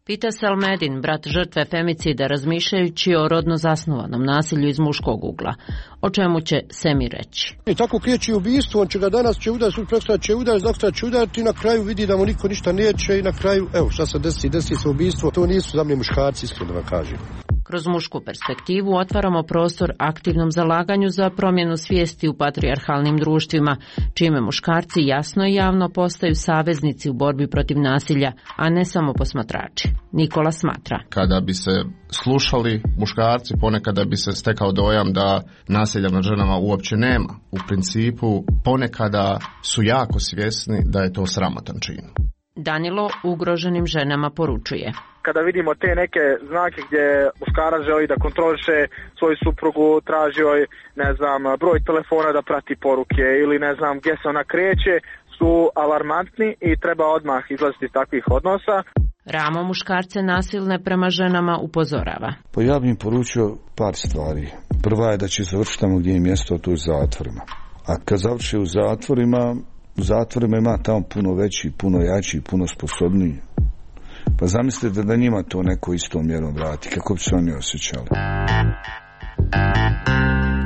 Pita se Almedin, brat žrtve femicida, razmišljajući o rodno zasnovanom nasilju iz muškog ugla. O čemu će Semi reći? I tako kriječi ubistvo, on će ga danas će udariti, sutra će udariti, doktora će udariti i na kraju vidi da mu niko ništa neće i na kraju, evo šta se desi se ubistvo, to nisu za mne muškarci, iskreno da vam kažem. Kroz mušku perspektivu otvaramo prostor aktivnom zalaganju za promjenu svijesti u patrijarhalnim društvima, čime muškarci jasno i javno postaju saveznici u borbi protiv nasilja, a ne samo posmatrači. Nikola smatra. Kada bi se slušali muškarci, ponekada bi se stekao dojam da nasilja nad ženama uopće nema. U principu, ponekada su jako svjesni da je to sramotan čin. Danilo ugroženim ženama poručuje. Kada vidimo te neke znake gdje muškarac želi da kontroliše svoju suprugu, traži joj, broj telefona da prati poruke ili gdje se ona kreće, su alarmantni i treba odmah izlaziti iz takvih odnosa. Ramo muškarce nasilne prema ženama upozorava. Pa ja bih im poručio par stvari. Prva je da će završiti tamo gdje je mjesto, to u zatvorima. A kad završi u zatvorima ima tamo puno veći, puno jači, puno sposobniji. Pa zamislite da njima to neko istom mjerom vrati, kako bi se oni osjećali.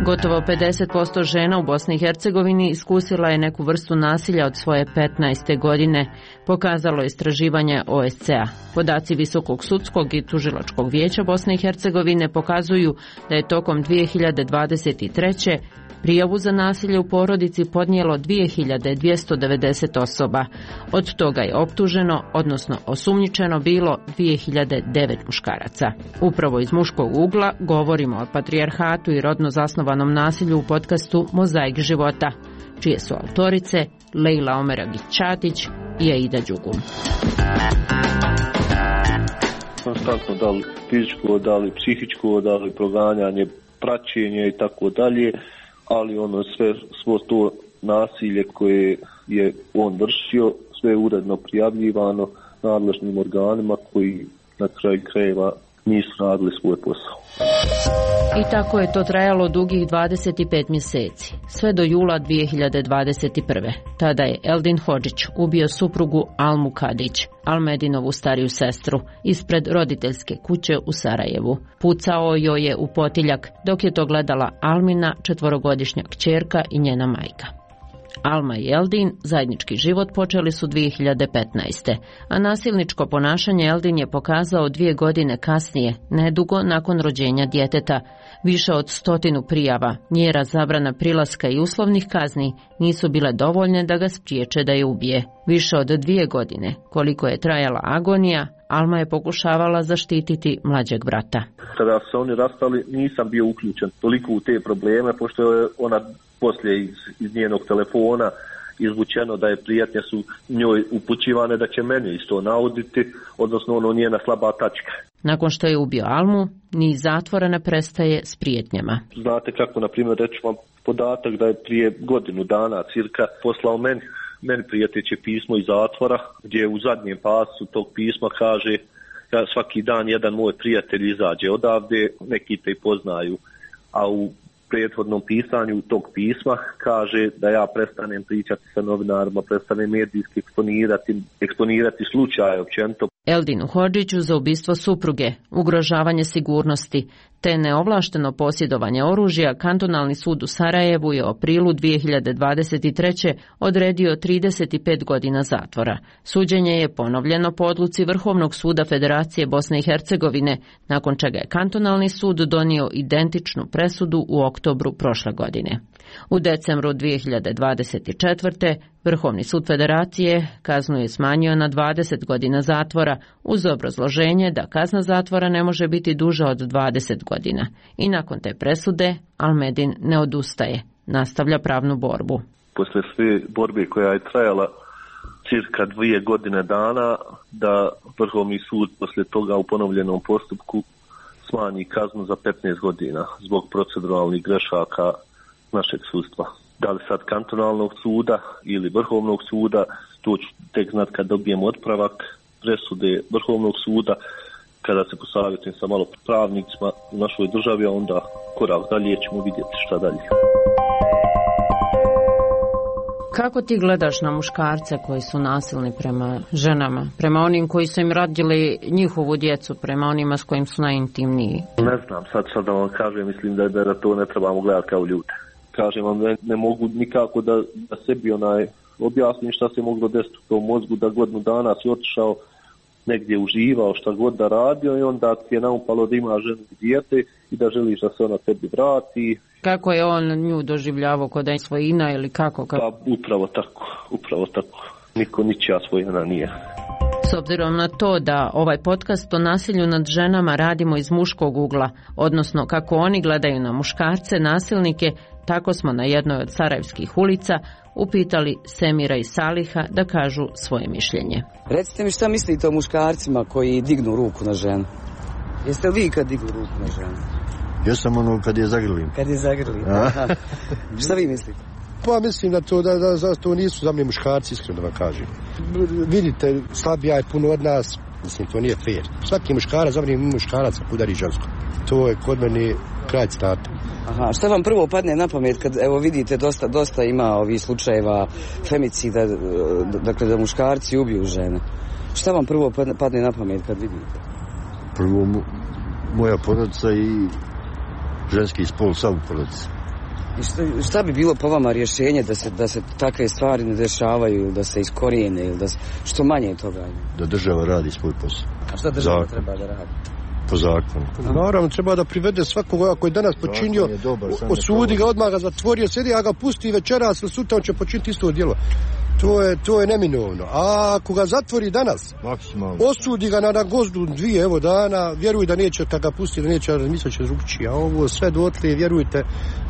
Gotovo 50% žena u Bosni i Hercegovini iskusila je neku vrstu nasilja od svoje 15. godine, pokazalo je istraživanje OSCE-a. Podaci Visokog sudskog i tužilačkog vijeća Bosne i Hercegovine pokazuju da je tokom 2023. prijavu za nasilje u porodici podnijelo 2290 osoba. Od toga je optuženo, odnosno osumnjičeno bilo 2009 muškaraca. Upravo iz muškog ugla govorimo o patrijarhatu i rodno zasnovanom nasilju u podcastu Mozaik života, čije su autorice Lejla Omeragić-Čatić i Aida Đugum. Konstantno da li fizičko, da li psihičko, da li proganjanje, praćenje i tako dalje, ali svo to nasilje koje je on vršio, sve je uredno prijavljivano nadležnim organima koji na kraju krajeva nisu radili svoj posao. I tako je to trajalo dugih 25 mjeseci, sve do jula 2021. Tada je Eldin Hodžić ubio suprugu Almu Kadić, Almedinovu stariju sestru, ispred roditeljske kuće u Sarajevu. Pucao joj je u potiljak, dok je to gledala Almina, 4-godišnja kćerka i njena majka. Alma i Eldin zajednički život počeli su 2015. A nasilničko ponašanje Eldin je pokazao 2 godine kasnije, nedugo nakon rođenja djeteta. Više od 100 prijava, mjera zabrana prilaska i uslovnih kazni nisu bile dovoljne da ga spriječe da je ubije. Više od 2 godine, koliko je trajala agonija, Alma je pokušavala zaštititi mlađeg brata. Kada su se oni rastali, nisam bio uključen toliko u te probleme, pošto je ona poslije iz njenog telefona izvučeno da je prijetnje su njoj upućivane da će meni isto nauditi, odnosno njena slaba tačka. Nakon što je ubio Almu, niz zatvora ne prestaje s prijetnjama. Znate kako, na primjer, reći vam podatak da je prije godinu dana cirka poslao meni prijeteće pismo iz zatvora, gdje u zadnjem pasu tog pisma kaže da svaki dan jedan moj prijatelj izađe odavde, neki te poznaju, a u prethodnom pisanju tog pisma kaže da ja prestanem pričati sa novinarima, prestanem medijski eksponirati slučaje općenito. Eldinu Hodžiću za ubistvo supruge, ugrožavanje sigurnosti, te neovlašteno posjedovanje oružja, kantonalni sud u Sarajevu je u aprilu 2023. odredio 35 godina zatvora. Suđenje je ponovljeno po odluci Vrhovnog suda Federacije Bosne i Hercegovine, nakon čega je kantonalni sud donio identičnu presudu u oktobru prošle godine. U decembru 2024. Vrhovni sud Federacije kaznu je smanjio na 20 godina zatvora uz obrazloženje da kazna zatvora ne može biti duža od 20 godina. I nakon te presude Almedin ne odustaje, nastavlja pravnu borbu. Posle sve borbe koja je trajala cirka 2 godine dana, da Vrhovni sud posle toga u ponovljenom postupku smanji kaznu za 15 godina zbog proceduralnih grešaka našeg sudstva. Da li sad kantonalnog suda ili Vrhovnog suda, to ću tek znat kad dobijem otpravak presude Vrhovnog suda, kada se posavjetujem sa malo pravnicima u našoj državi, a onda korak dalje ćemo vidjeti šta dalje. Kako ti gledaš na muškarce koji su nasilni prema ženama, prema onim koji su im rodili njihovu djecu, prema onima s kojim su najintimniji? Ne znam, sad da vam kažem, mislim da to ne trebamo gledati kao ljude. Kažem vam, ne mogu nikako da sebi objasnim šta se moglo desiti u tom mozgu, da godinu dana si otišao negdje, uživao šta god da radio i onda ti je naupalo da ima ženu i dijete i da želiš da se ona tebi vrati. Kako je on nju doživljavao, kod da je svojina ili kako? Pa upravo tako. Niko ničija svojina nije. S obzirom na to da ovaj podcast o nasilju nad ženama radimo iz muškog ugla, odnosno kako oni gledaju na muškarce, nasilnike, tako smo na jednoj od sarajevskih ulica upitali Semira i Saliha da kažu svoje mišljenje. Recite mi šta mislite o muškarcima koji dignu ruku na ženu? Jeste li vi kad dignu ruku na ženu? Ja sam kad je zagrlim. Kad je zagrlim. Šta vi mislite? Pa mislim da to nisu za mene muškarci, iskreno da vam kažem. Vidite, slabija je puno od nas, mislim to nije fair. Svaki muškarac, za mene muškarac udari žensko. To je kod mene kraj citata. Aha, šta vam prvo padne na pamet kad, evo vidite, dosta ima ovih slučajeva femicida, dakle da muškarci ubiju žene. Šta vam prvo padne na pamet kad vidite? Prvo moja porodica i ženski spol sam u porodici. I šta bi bilo po vama rješenje da se takve stvari ne dešavaju, da se iskorijene ili da se, što manje toga? Da država radi svoj posao. A šta država treba da radi? Po zakonu. Naravno, treba da privede svakoga koji je danas počinio, osudi ga, odmah ga zatvorio, sjedi, a ga pusti večeras ili sutra, on će počiniti isto djelo. To je neminovno. A ako ga zatvori danas, osudi ga na gozdu 2 dana, vjeruj da neće, kad ga pusti, da neće razmisliti će drugčije. A ovo sve dotle, vjerujte,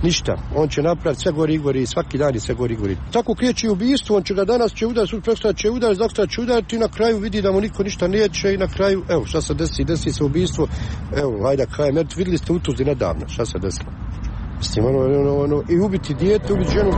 ništa. On će napraviti sve gori i svaki dan je sve gori. Tako kreće ubistvo, on će ga danas će udariti, sutra će udariti, doktora će udariti i na kraju vidi da mu niko ništa neće i na kraju, evo šta se desi se ubistvo, evo, ajde kajem, vidjeli ste u Tuzli nedavno, šta se desilo. Mislim, i ubiti dijete, ubiti ženu.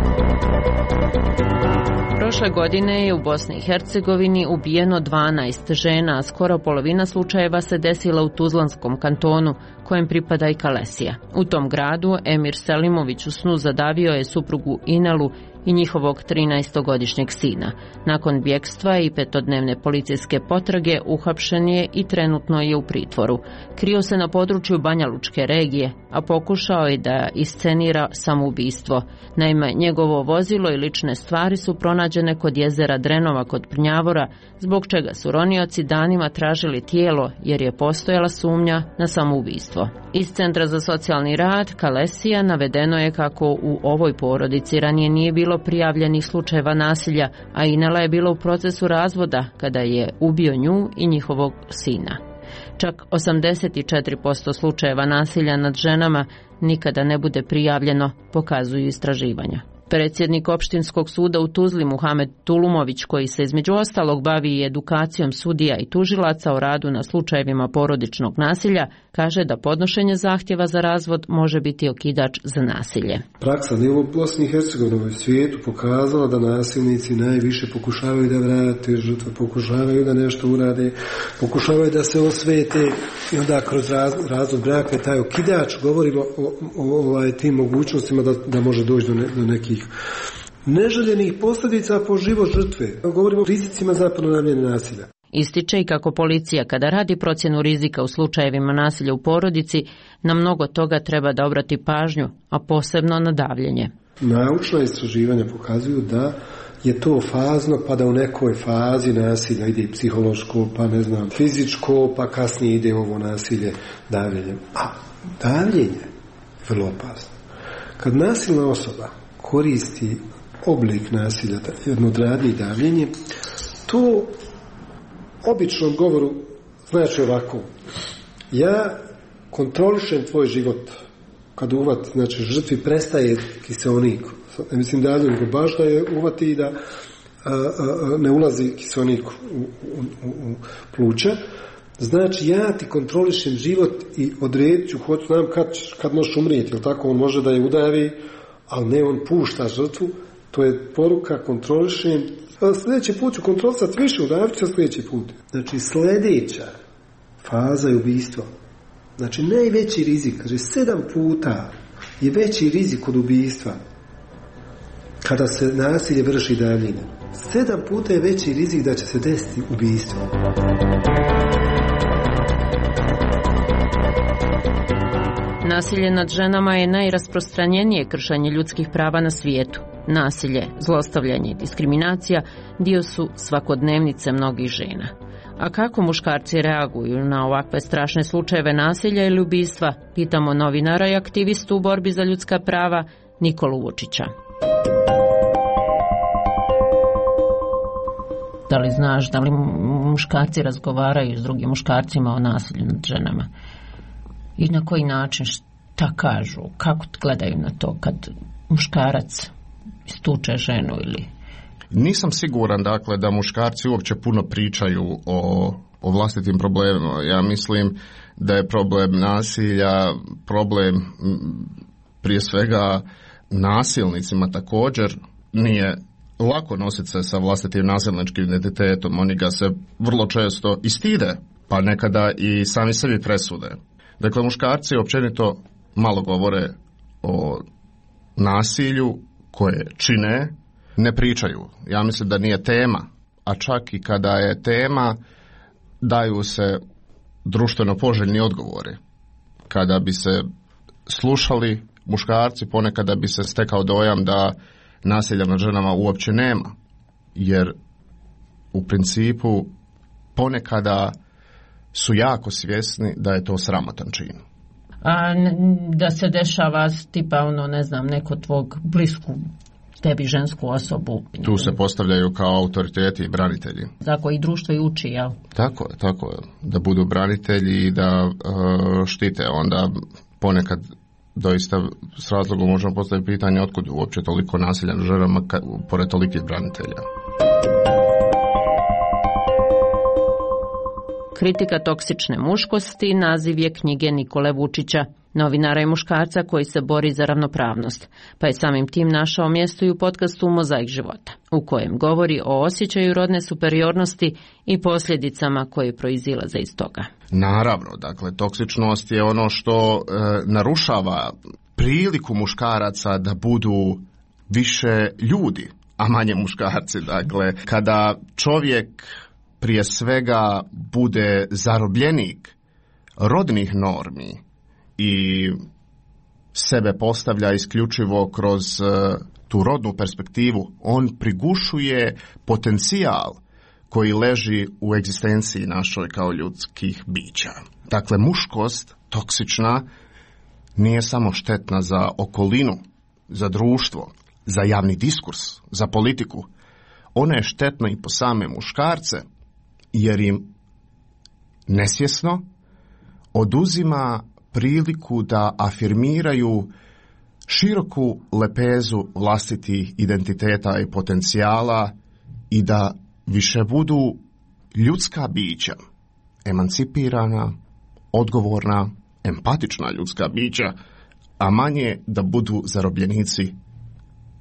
Prošle godine je u Bosni i Hercegovini ubijeno 12 žena, a skoro polovina slučajeva se desila u Tuzlanskom kantonu, kojem pripada i Kalesija. U tom gradu Emir Selimović u snu zadavio je suprugu Inalu i njihovog 13-godišnjeg sina. Nakon bjekstva i 5-dnevne policijske potrage uhapšen je i trenutno je u pritvoru. Krio se na području Banja Lučke regije, a pokušao je da iscenira samoubistvo. Naime, njegovo vozilo i lične stvari su pronađene kod jezera Drenova kod Prnjavora, zbog čega su ronioci danima tražili tijelo jer je postojala sumnja na samoubistvo. Iz Centra za socijalni rad Kalesija navedeno je kako u ovoj porodici ranije nije bilo prijavljenih slučajeva nasilja, a Inela je bila u procesu razvoda kada je ubio nju i njihovog sina. Čak 84% slučajeva nasilja nad ženama nikada ne bude prijavljeno, pokazuju istraživanja. Predsjednik opštinskog suda u Tuzli Muhamed Tulumović, koji se između ostalog bavi i edukacijom sudija i tužilaca o radu na slučajevima porodičnog nasilja, kaže da podnošenje zahtjeva za razvod može biti okidač za nasilje. Praksa ne u Bosni i Hercegovini, u svijetu pokazala da nasilnici najviše pokušavaju da vrate žrtve, pokušavaju da nešto urade, pokušavaju da se osvete i onda kroz razvod braka je taj okidač, govorimo o tim mogućnostima da može doći do nekih neželjenih posljedica po život žrtve. Govorimo o rizicima za ponavljanje nasilja. Ističe i kako policija kada radi procjenu rizika u slučajevima nasilja u porodici, na mnogo toga treba da obrati pažnju, a posebno na davljenje. Naučna istraživanja pokazuju da je to fazno, pa da u nekoj fazi nasilja ide i psihološko, pa ne znam, fizičko, pa kasnije ide ovo nasilje davljenjem. A davljenje je vrlo opasno. Kad nasilna osoba koristi oblik nasilja, jedno od radnji davljenje, to običnom govoru znači ovako: ja kontrolišem tvoj život. Kad uvat, znači žrtvi prestaje kiseonik. Ne mislim davljenje, nego baš da je uvati i da ne ulazi kiseonik u pluća. Znači ja ti kontrolišem život i odredit ću, hoću znam kad možeš umrijeti, ili tako, on može da je udavi, ali ne, on pušta žrtvu. To je poruka, kontrolišem. Sljedeći put ću kontrolisati više, udavit ću sljedeći put. Znači sljedeća faza je ubistvo. Znači najveći rizik, kaže 7 puta je veći rizik od ubistva kada se nasilje vrši davljenjem. 7 puta je veći rizik da će se desiti ubistvo. Nasilje nad ženama je najrasprostranjenije kršenje ljudskih prava na svijetu. Nasilje, zlostavljanje i diskriminacija dio su svakodnevnice mnogih žena. A kako muškarci reaguju na ovakve strašne slučajeve nasilja ili ubistva, pitamo novinara i aktivistu u borbi za ljudska prava Nikolu Vučića. Da li znaš da li muškarci razgovaraju s drugim muškarcima o nasilju nad ženama? I na koji način, šta kažu, kako gledaju na to kad muškarac istuče ženu ili... Nisam siguran, dakle, da muškarci uopće puno pričaju o vlastitim problemima. Ja mislim da je problem nasilja, problem prije svega nasilnicima također. Nije lako nositi se sa vlastitim nasilničkim identitetom. Oni ga se vrlo često i stide, pa nekada i sami sebi presude. Dakle, muškarci općenito malo govore o nasilju koje čine, ne pričaju. Ja mislim da nije tema, a čak i kada je tema, daju se društveno poželjni odgovori. Kada bi se slušali muškarci, ponekada bi se stekao dojam da nasilja nad ženama uopće nema, jer u principu ponekada su jako svjesni da je to sramotan čin. A da se dešava tipa ne znam, neko tvog blisku tebi žensku osobu. Tu se postavljaju kao autoriteti i branitelji. Tako i društvo i uči, jel? Tako je. Da budu branitelji i da štite. Onda ponekad doista s razlogom možemo postaviti pitanje otkud uopće toliko nasilja nad ženama pored tolikih branitelja. Kritika toksične muškosti naziv je knjige Nikole Vučića, novinara i muškarca koji se bori za ravnopravnost, pa je samim tim našao mjesto i u podcastu Mozaik života, u kojem govori o osjećaju rodne superiornosti i posljedicama koje proizilaze iz toga. Naravno, dakle, toksičnost je ono što narušava priliku muškaraca da budu više ljudi, a manje muškarci. Dakle, kada čovjek prije svega bude zarobljenik rodnih normi i sebe postavlja isključivo kroz tu rodnu perspektivu, on prigušuje potencijal koji leži u egzistenciji našoj kao ljudskih bića. Dakle, muškost toksična nije samo štetna za okolinu, za društvo, za javni diskurs, za politiku. Ona je štetna i po same muškarce, jer im nesvjesno oduzima priliku da afirmiraju široku lepezu vlastitih identiteta i potencijala i da više budu ljudska bića, emancipirana, odgovorna, empatična ljudska bića, a manje da budu zarobljenici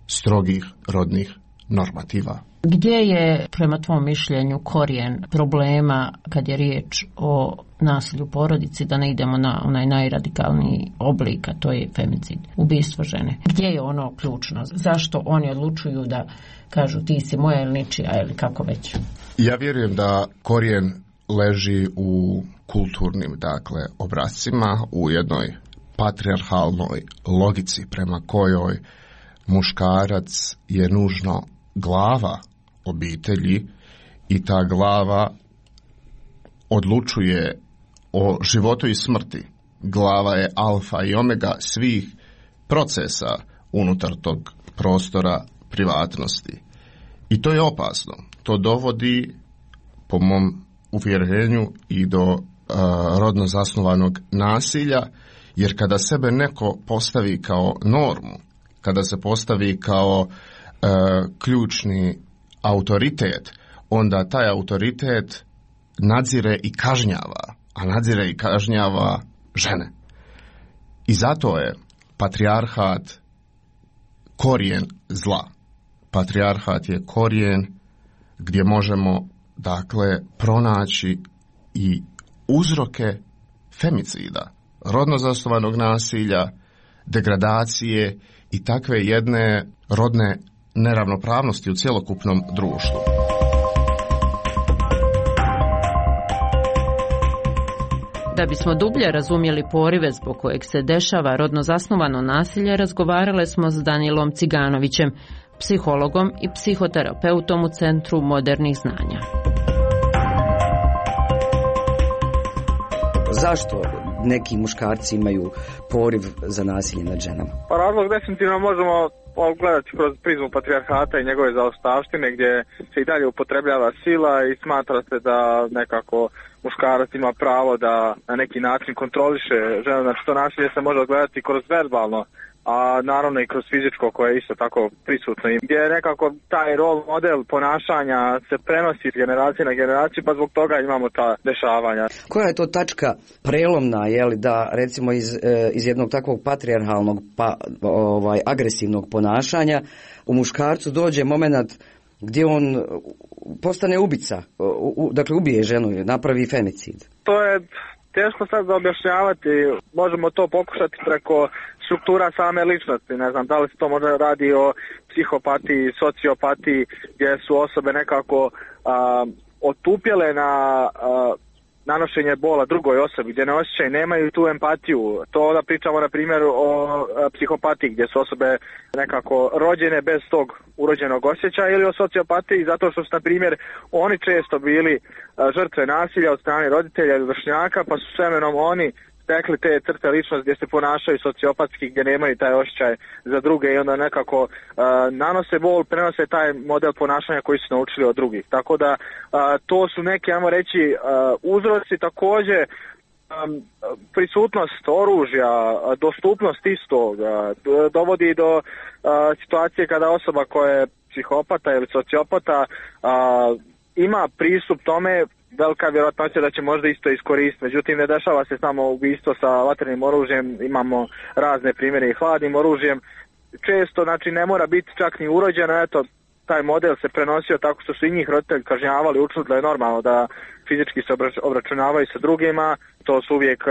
strogih rodnih normativa Gdje je, prema tvom mišljenju, korijen problema kad je riječ o nasilju u porodici, da ne idemo na onaj najradikalniji oblik, a to je femicid, ubistvo žene? Gdje je ono ključno? Zašto oni odlučuju da kažu ti si moja ili ničija ili kako već? Ja vjerujem da korijen leži u kulturnim, obrascima, u jednoj patrijarhalnoj logici prema kojoj muškarac je nužno glava obitelji i ta glava odlučuje o životu i smrti. Glava je alfa i omega svih procesa unutar tog prostora privatnosti. I to je opasno. To dovodi, po mom uvjerenju, i do rodno zasnovanog nasilja, jer kada sebe neko postavi kao normu, kada se postavi kao ključni autoritet, onda taj autoritet nadzire i kažnjava, a nadzire i kažnjava žene. I zato je patrijarhat korijen zla. Patrijarhat je korijen gdje možemo, pronaći i uzroke femicida, rodno zasnovanog nasilja, degradacije i takve jedne rodne neravnopravnosti u cjelokupnom društvu. Da bismo dublje razumjeli porive zbog kojeg se dešava rodno zasnovano nasilje, razgovarale smo s Danilom Ciganovićem, psihologom i psihoterapeutom u Centru modernih znanja. Zašto neki muškarci imaju poriv za nasilje nad ženama? Pa razlog definitivno možemo gledati kroz prizmu patrijarhata i njegove zaostavštine, gdje se i dalje upotrebljava sila i smatra se da nekako muškarac ima pravo da na neki način kontroliše ženu. Znači to nasilje se može gledati kroz verbalno, a naravno i kroz fizičko koje je isto tako prisutno. Gdje je nekako taj rol model ponašanja se prenosi iz generacije na generaciju, pa zbog toga imamo ta dešavanja. Koja je to tačka prelomna, da recimo iz jednog takvog patrijarhalnog agresivnog ponašanja u muškarcu dođe moment gdje on postane ubica, ubije ženu, napravi femicid? To je teško sad za objašnjavati, možemo to pokušati preko struktura same ličnosti, ne znam da li se to možda radi o psihopatiji, sociopatiji, gdje su osobe nekako otupjele na nanošenje bola drugoj osobi, gdje ne osjećaju, nemaju tu empatiju. To onda pričamo na primjer o psihopatiji, gdje su osobe nekako rođene bez tog urođenog osjećaja, ili o sociopatiji zato što su na primjer oni često bili žrtve nasilja od strane roditelja ili vršnjaka, pa su s vremenom oni stekli te crte ličnosti gdje se ponašaju sociopatski, gdje nemaju taj osjećaj za druge i onda nekako nanose bol, prenose taj model ponašanja koji su naučili od drugih. Tako da to su neki, ajmo reći, uzroci. Također prisutnost oružja, dostupnost istog dovodi do situacije kada osoba koja je psihopata ili sociopata ima pristup tome, velika vjerojatnoća da će možda isto iskoristiti. Međutim, ne dešava se samo ubistvo sa vatrenim oružjem, imamo razne primjere i hladnim oružjem. Često, ne mora biti čak ni urođeno, taj model se prenosio tako što su i njih roditelji kažnjavali, učili da je normalno da fizički se obračunavaju sa drugima. To su uvijek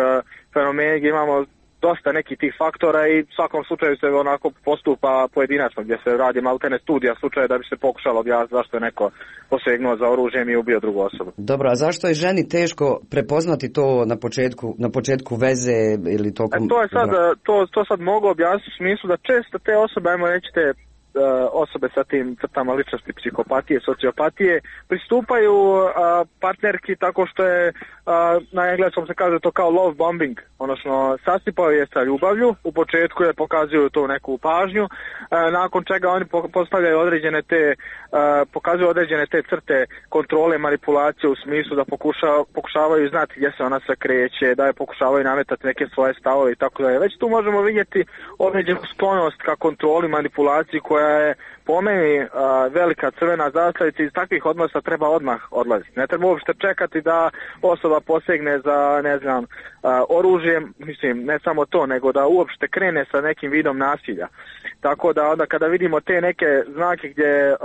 fenomeni gdje imamo dosta nekih tih faktora i u svakom slučaju se onako postupa pojedinačno, gdje se radi maltene studija slučaja da bi se pokušalo objasniti zašto je neko posegnuo za oružjem i ubio drugu osobu. Dobro, a zašto je ženi teško prepoznati to na početku veze ili tokom... To sad mogu objasniti u smislu da često te osobe, ajmo reći te osobe sa tim crtama ličnosti psihopatije, sociopatije, pristupaju partnerki tako što je na engleskom se kaže to kao love bombing, odnosno sasipaju je sa ljubavlju, u početku je pokazuju tu neku pažnju, nakon čega oni postavljaju pokazuju određene te crte kontrole, manipulacije u smislu da pokušavaju znati gdje se ona se kreće, da je pokušavaju nametati neke svoje stavove i tako dalje. Već tu možemo vidjeti određenu sklonost ka kontroli, manipulaciji koja je po meni velika crvena zastavica. Iz takvih odnosa treba odmah odlaziti. Ne treba uopšte čekati da osoba posegne za, oružjem, ne samo to, nego da uopšte krene sa nekim vidom nasilja. Tako da onda kada vidimo te neke znake gdje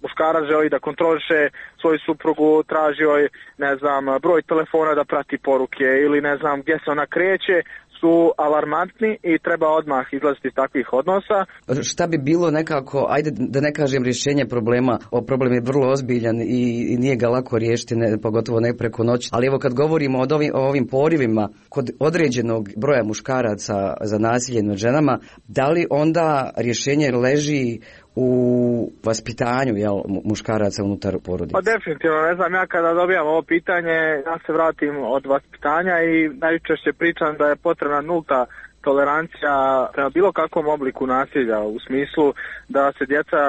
muškarac želi da kontroliše svoju suprugu, traži joj, ne znam, broj telefona da prati poruke ili ne znam gdje se ona kreće, su alarmantni i treba odmah izlaziti iz takvih odnosa. Šta bi bilo nekako, ajde da ne kažem rješenje problema, problem je vrlo ozbiljan i nije ga lako riješiti, pogotovo ne preko noći, ali evo kad govorimo o ovim porivima kod određenog broja muškaraca za nasilje nad ženama, da li onda rješenje leži u vaspitanju muškaraca unutar porodice? Pa definitivno, ne znam, ja kada dobijam ovo pitanje, ja se vratim od vaspitanja i najčešće pričam da je potrebna nulta tolerancija prema bilo kakvom obliku nasilja, u smislu da se djeca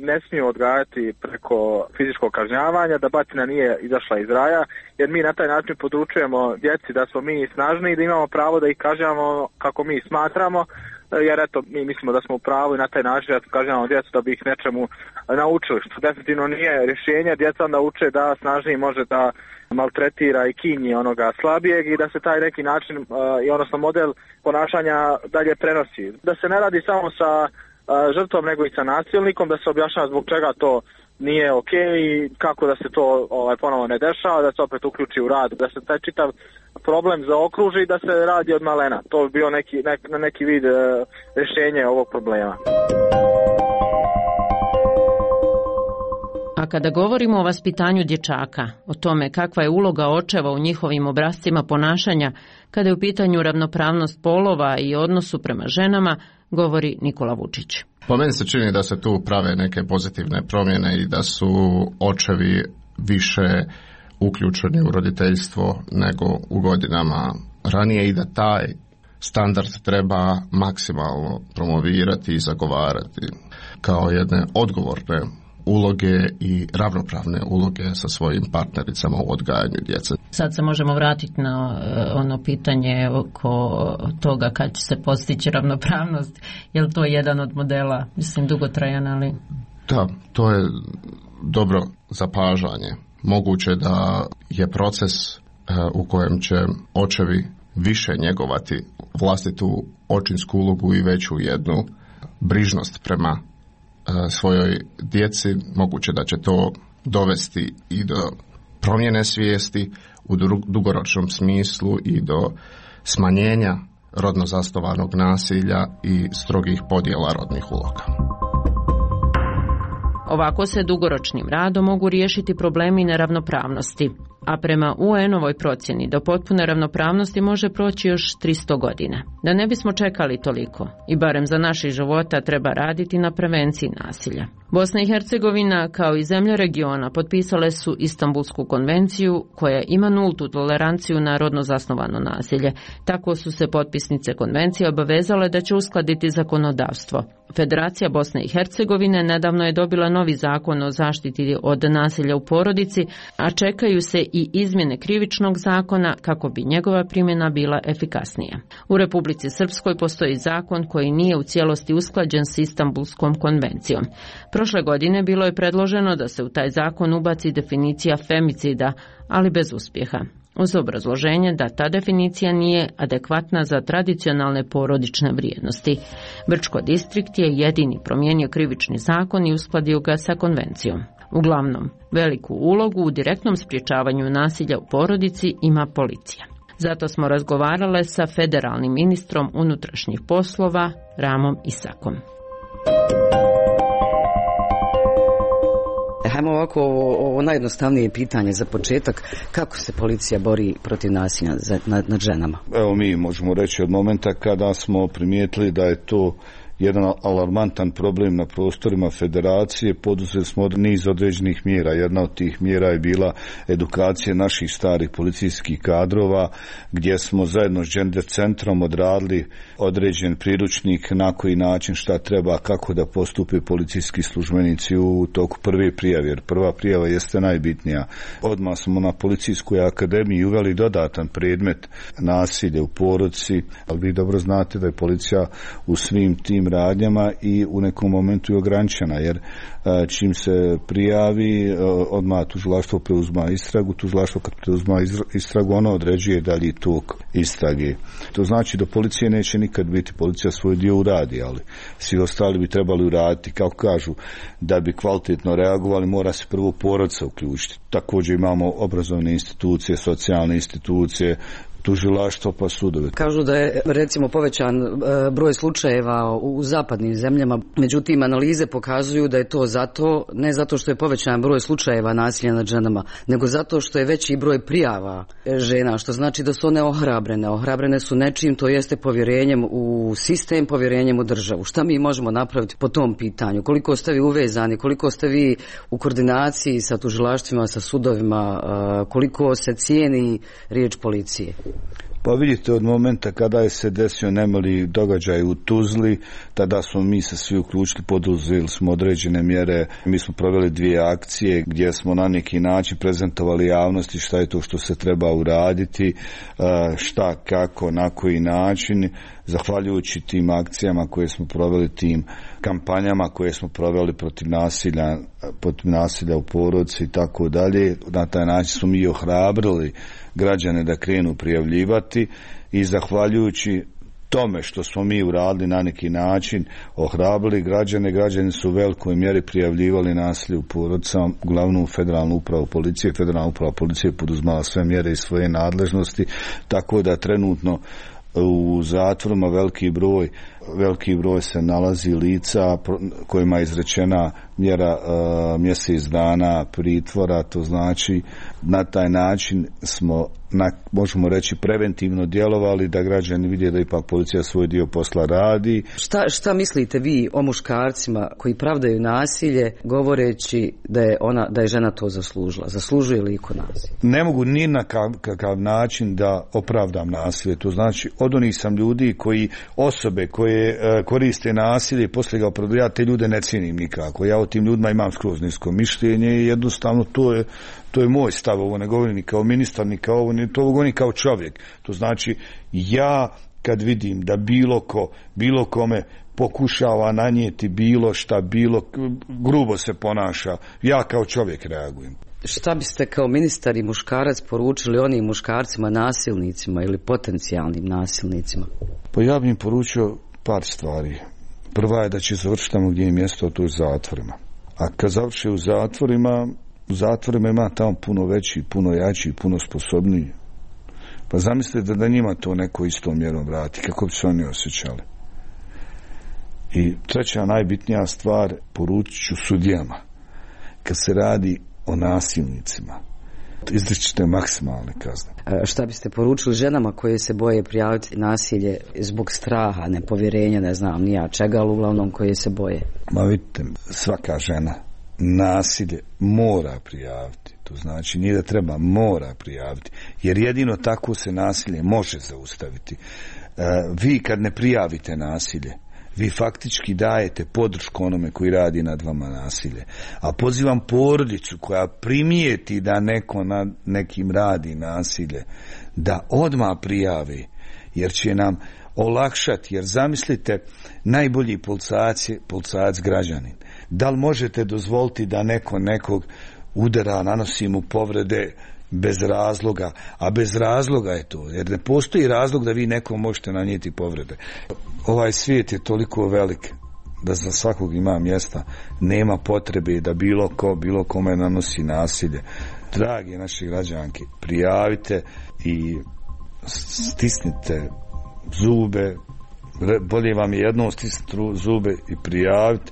ne smiju odgajati preko fizičkog kažnjavanja, da batina nije izašla iz raja, jer mi na taj način područujemo djeci da smo mi snažni i da imamo pravo da ih kažnjavamo kako mi smatramo, jer eto, mi mislimo da smo u pravu i na taj način da kažnjavamo djecu da bi ih nečemu naučili, što definitivno nije rješenje. Djeca onda uče da snažniji može da maltretira i kinji onoga slabijeg i da se taj neki način i odnosno model ponašanja dalje prenosi. Da se ne radi samo sa žrtvom nego i sa nasilnikom, da se objašnjava zbog čega to nije ok i kako da se to ponovo ne dešava, da se opet uključi u rad, da se taj čitav problem zaokruži i da se radi od malena. To bi bio neki vid rješenja ovog problema. A kada govorimo o vaspitanju dječaka, o tome kakva je uloga očeva u njihovim obrascima ponašanja, kada je u pitanju ravnopravnost polova i odnosu prema ženama, govori Nikola Vučić. Po meni se čini da se tu prave neke pozitivne promjene i da su očevi više uključeni u roditeljstvo nego u godinama ranije i da taj standard treba maksimalno promovirati i zagovarati kao jedne odgovorne uloge i ravnopravne uloge sa svojim partnericama u odgajanju djece. Sad se možemo vratiti na ono pitanje oko toga kad će se postići ravnopravnost. Je li to jedan od modela, mislim, dugotrajan, ali... Da, to je dobro zapažanje. Moguće da je proces u kojem će očevi više njegovati vlastitu očinsku ulogu i veću jednu brižnost prema svojoj djeci, moguće da će to dovesti i do promjene svijesti u dugoročnom smislu i do smanjenja rodno zasnovanog nasilja i strogih podjela rodnih uloga. Ovako se dugoročnim radom mogu riješiti problemi neravnopravnosti, a prema UN-ovoj procjeni do potpune ravnopravnosti može proći još 300 godina. Da ne bismo čekali toliko i barem za naših života treba raditi na prevenciji nasilja. Bosna i Hercegovina kao i zemlje regiona potpisale su Istanbulsku konvenciju koja ima nultu toleranciju na rodno zasnovano nasilje. Tako su se potpisnice konvencije obavezale da će uskladiti zakonodavstvo. Federacija Bosne i Hercegovine nedavno je dobila novi zakon o zaštiti od nasilja u porodici, a čekaju se i izmjene krivičnog zakona kako bi njegova primjena bila efikasnija. U Republici Srpskoj postoji zakon koji nije u cijelosti usklađen s Istanbulskom konvencijom. Prošle godine bilo je predloženo da se u taj zakon ubaci definicija femicida, ali bez uspjeha, uz obrazloženje da ta definicija nije adekvatna za tradicionalne porodične vrijednosti. Brčko distrikt je jedini promijenio krivični zakon i uskladio ga sa konvencijom. Uglavnom, veliku ulogu u direktnom sprječavanju nasilja u porodici ima policija. Zato smo razgovarale sa federalnim ministrom unutrašnjih poslova Ramom Isakom. Hajmo ovako, ovo najjednostavnije pitanje za početak. Kako se policija bori protiv nasilja nad ženama? Evo, mi možemo reći od momenta kada smo primijetili da je to jedan alarmantan problem na prostorima federacije, poduzeli smo niz određenih mjera. Jedna od tih mjera je bila edukacija naših starih policijskih kadrova, gdje smo zajedno s Gender centrom odradili određen priručnik na koji način, šta treba, kako da postupe policijski službenici u toku prve prijave, jer prva prijava jeste najbitnija. Odmah smo na policijskoj akademiji uveli dodatan predmet nasilje u porodici, ali vi dobro znate da je policija u svim tim radnjama i u nekom momentu je ograničena, jer čim se prijavi, odmah tužilaštvo preuzma istragu, tužilaštvo kad preuzma istragu, ono određuje dalji tok istrage. To znači da policija neće nikad biti, policija svoj dio uradi, ali svi ostali bi trebali uraditi, kako kažu, da bi kvalitetno reagovali, mora se prvo porodica uključiti. Također imamo obrazovne institucije, socijalne institucije, tužilaštvo pa sudove. Kažu da je recimo povećan broj slučajeva u zapadnim zemljama, međutim analize pokazuju da je to zato, ne zato što je povećan broj slučajeva nasilja nad ženama, nego zato što je veći broj prijava žena, što znači da su one ohrabrene. Ohrabrene su nečim, to jeste povjerenjem u sistem, povjerenjem u državu. Šta mi možemo napraviti po tom pitanju? Koliko ste vi uvezani, koliko ste vi u koordinaciji sa tužilaštvima, sa sudovima, koliko se cijeni riječ policije? Pa vidite, od momenta kada je se desio nemili događaj u Tuzli, tada smo mi se svi uključili, poduzeli smo određene mjere. Mi smo proveli 2 akcije gdje smo na neki način prezentovali javnosti šta je to što se treba uraditi, šta, kako, na koji način. Zahvaljujući tim akcijama koje smo proveli, tim kampanjama koje smo proveli protiv nasilja u porodici i tako dalje, na taj način smo mi ohrabrili građane da krenu prijavljivati i zahvaljujući tome što smo mi uradili na neki način, ohrabrili građani su u velikoj mjeri prijavljivali nasilje u porodicama, uglavnom Federalnu upravu policije. Federalna uprava policije poduzmala sve mjere iz svoje nadležnosti, tako da trenutno u zatvorima veliki broj se nalazi lica kojima je izrečena mjera mjesec dana pritvora, to znači na taj način smo, možemo reći, preventivno djelovali da građani vide da ipak policija svoj dio posla radi. Šta mislite vi o muškarcima koji pravdaju nasilje govoreći da je žena to zaslužila? Zaslužuje li iko nasilje? Ne mogu ni na kakav način da opravdam nasilje. To znači od onih sam ljudi osobe koje koriste nasilje i poslije ga opravdaju, ja te ljude ne cijenim nikako. Ja o tim ljudima imam skroz nisko mišljenje i jednostavno to je moj stav. Ovo ne govorim ni kao ministar, ni kao ovo, to govorim kao čovjek. To znači ja kad vidim da bilo kome pokušava nanijeti bilo šta, grubo se ponaša, ja kao čovjek reagujem. Šta biste kao ministar i muškarac poručili onim muškarcima nasilnicima ili potencijalnim nasilnicima? Pa ja bih im poručio par stvari. Prva je da će završiti tamo gdje je mjesto, a to je u zatvorima. A kad završi u zatvorima ima tamo puno veći, puno jači, puno sposobniji. Pa zamislite da njima to neko istom mjerom vrati, kako bi se oni osjećali. I treća najbitnija stvar, poručit ću sudijama. Kad se radi o nasilnicima, izričite maksimalne kazne. Šta biste poručili ženama koje se boje prijaviti nasilje zbog straha, nepovjerenja, ne znam ni ja čega, ali uglavnom koje se boje? Ma vidite, svaka žena nasilje mora prijaviti. To znači nije da treba, mora prijaviti. Jer jedino tako se nasilje može zaustaviti. Vi kad ne prijavite nasilje, vi faktički dajete podršku onome koji radi nad vama nasilje. A pozivam porodicu koja primijeti da neko nad nekim radi nasilje, da odmah prijavi, jer će nam olakšati. Jer zamislite, najbolji policajac građanin. Da li možete dozvoliti da neko nekog udara, nanosi mu povrede bez razloga, a bez razloga je to, jer ne postoji razlog da vi nekom možete nanijeti povrede. Ovaj svijet je toliko velik da za svakog ima mjesta, nema potrebe da bilo kome nanosi nasilje. Dragi naši građanki, prijavite i stisnite zube, bolje vam je jednom stisniti zube i prijaviti.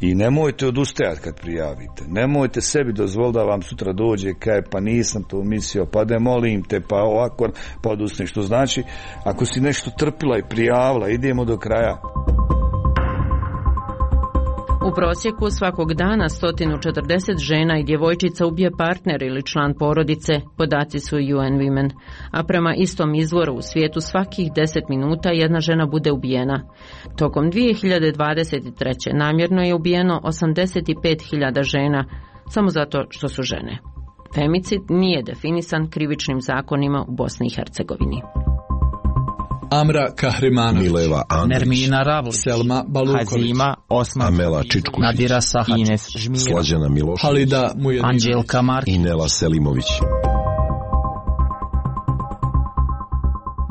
I nemojte odustajati kad prijavite. Nemojte sebi dozvoliti da vam sutra dođe kaj pa nisam to mislio, pa da molim te, pa ovako, pa odustane. Što znači, ako si nešto trpila i prijavila, idemo do kraja. U prosjeku svakog dana 140 žena i djevojčica ubije partner ili član porodice, podaci su UN Women. A prema istom izvoru u svijetu svakih 10 minuta jedna žena bude ubijena. Tokom 2023. namjerno je ubijeno 85.000 žena, samo zato što su žene. Femicid nije definisan krivičnim zakonima u Bosni i Hercegovini. Amra Kahrimanović, Mileva Andrić, Nermina Ravlić, Selma Baluković, Hazima Osman, Amela Čičkušić, Nadira Sahačić, Ines Žmira, Slađana Milošević, Halida Mujedinović, Anđelka Markić i Nela Selimović.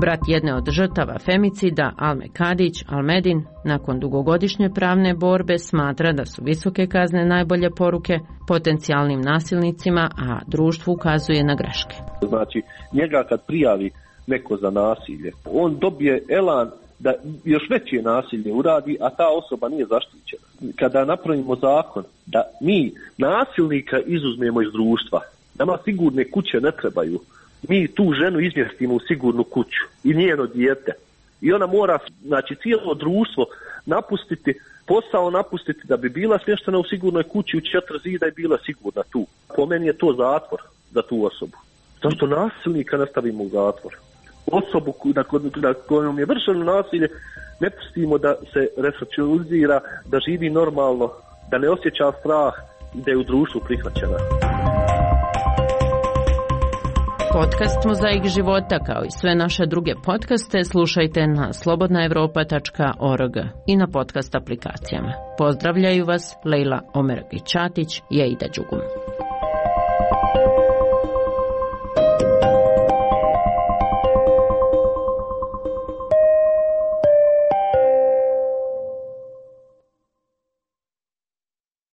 Brat jedne od žrtava femicida, Alme Kadić, Almedin, nakon dugogodišnje pravne borbe smatra da su visoke kazne najbolje poruke potencijalnim nasilnicima, a društvu ukazuje na greške. Znači, njega kad prijavi neko za nasilje, on dobije elan da još veće nasilje uradi, a ta osoba nije zaštićena. Kada napravimo zakon da mi nasilnika izuzmemo iz društva, nama sigurne kuće ne trebaju, mi tu ženu izmjestimo u sigurnu kuću i njeno dijete. I ona mora, znači, cijelo društvo napustiti, posao napustiti da bi bila smještena u sigurnoj kući u 4 zida i bila sigurna tu. Po meni je to zatvor za tu osobu. Zašto nasilnika ne stavimo u zatvor? Osobu na kojom je vršeno nasilje ne pustimo da se resocijalizira, da živi normalno, da ne osjeća strah i da je u društvu prihvaćena. Podcast Mozaik života kao i sve naše druge podcaste slušajte na slobodnaevropa.org i na podcast aplikacijama. Pozdravljaju vas Lejla Omergić-Ćatić i Aida Đugum.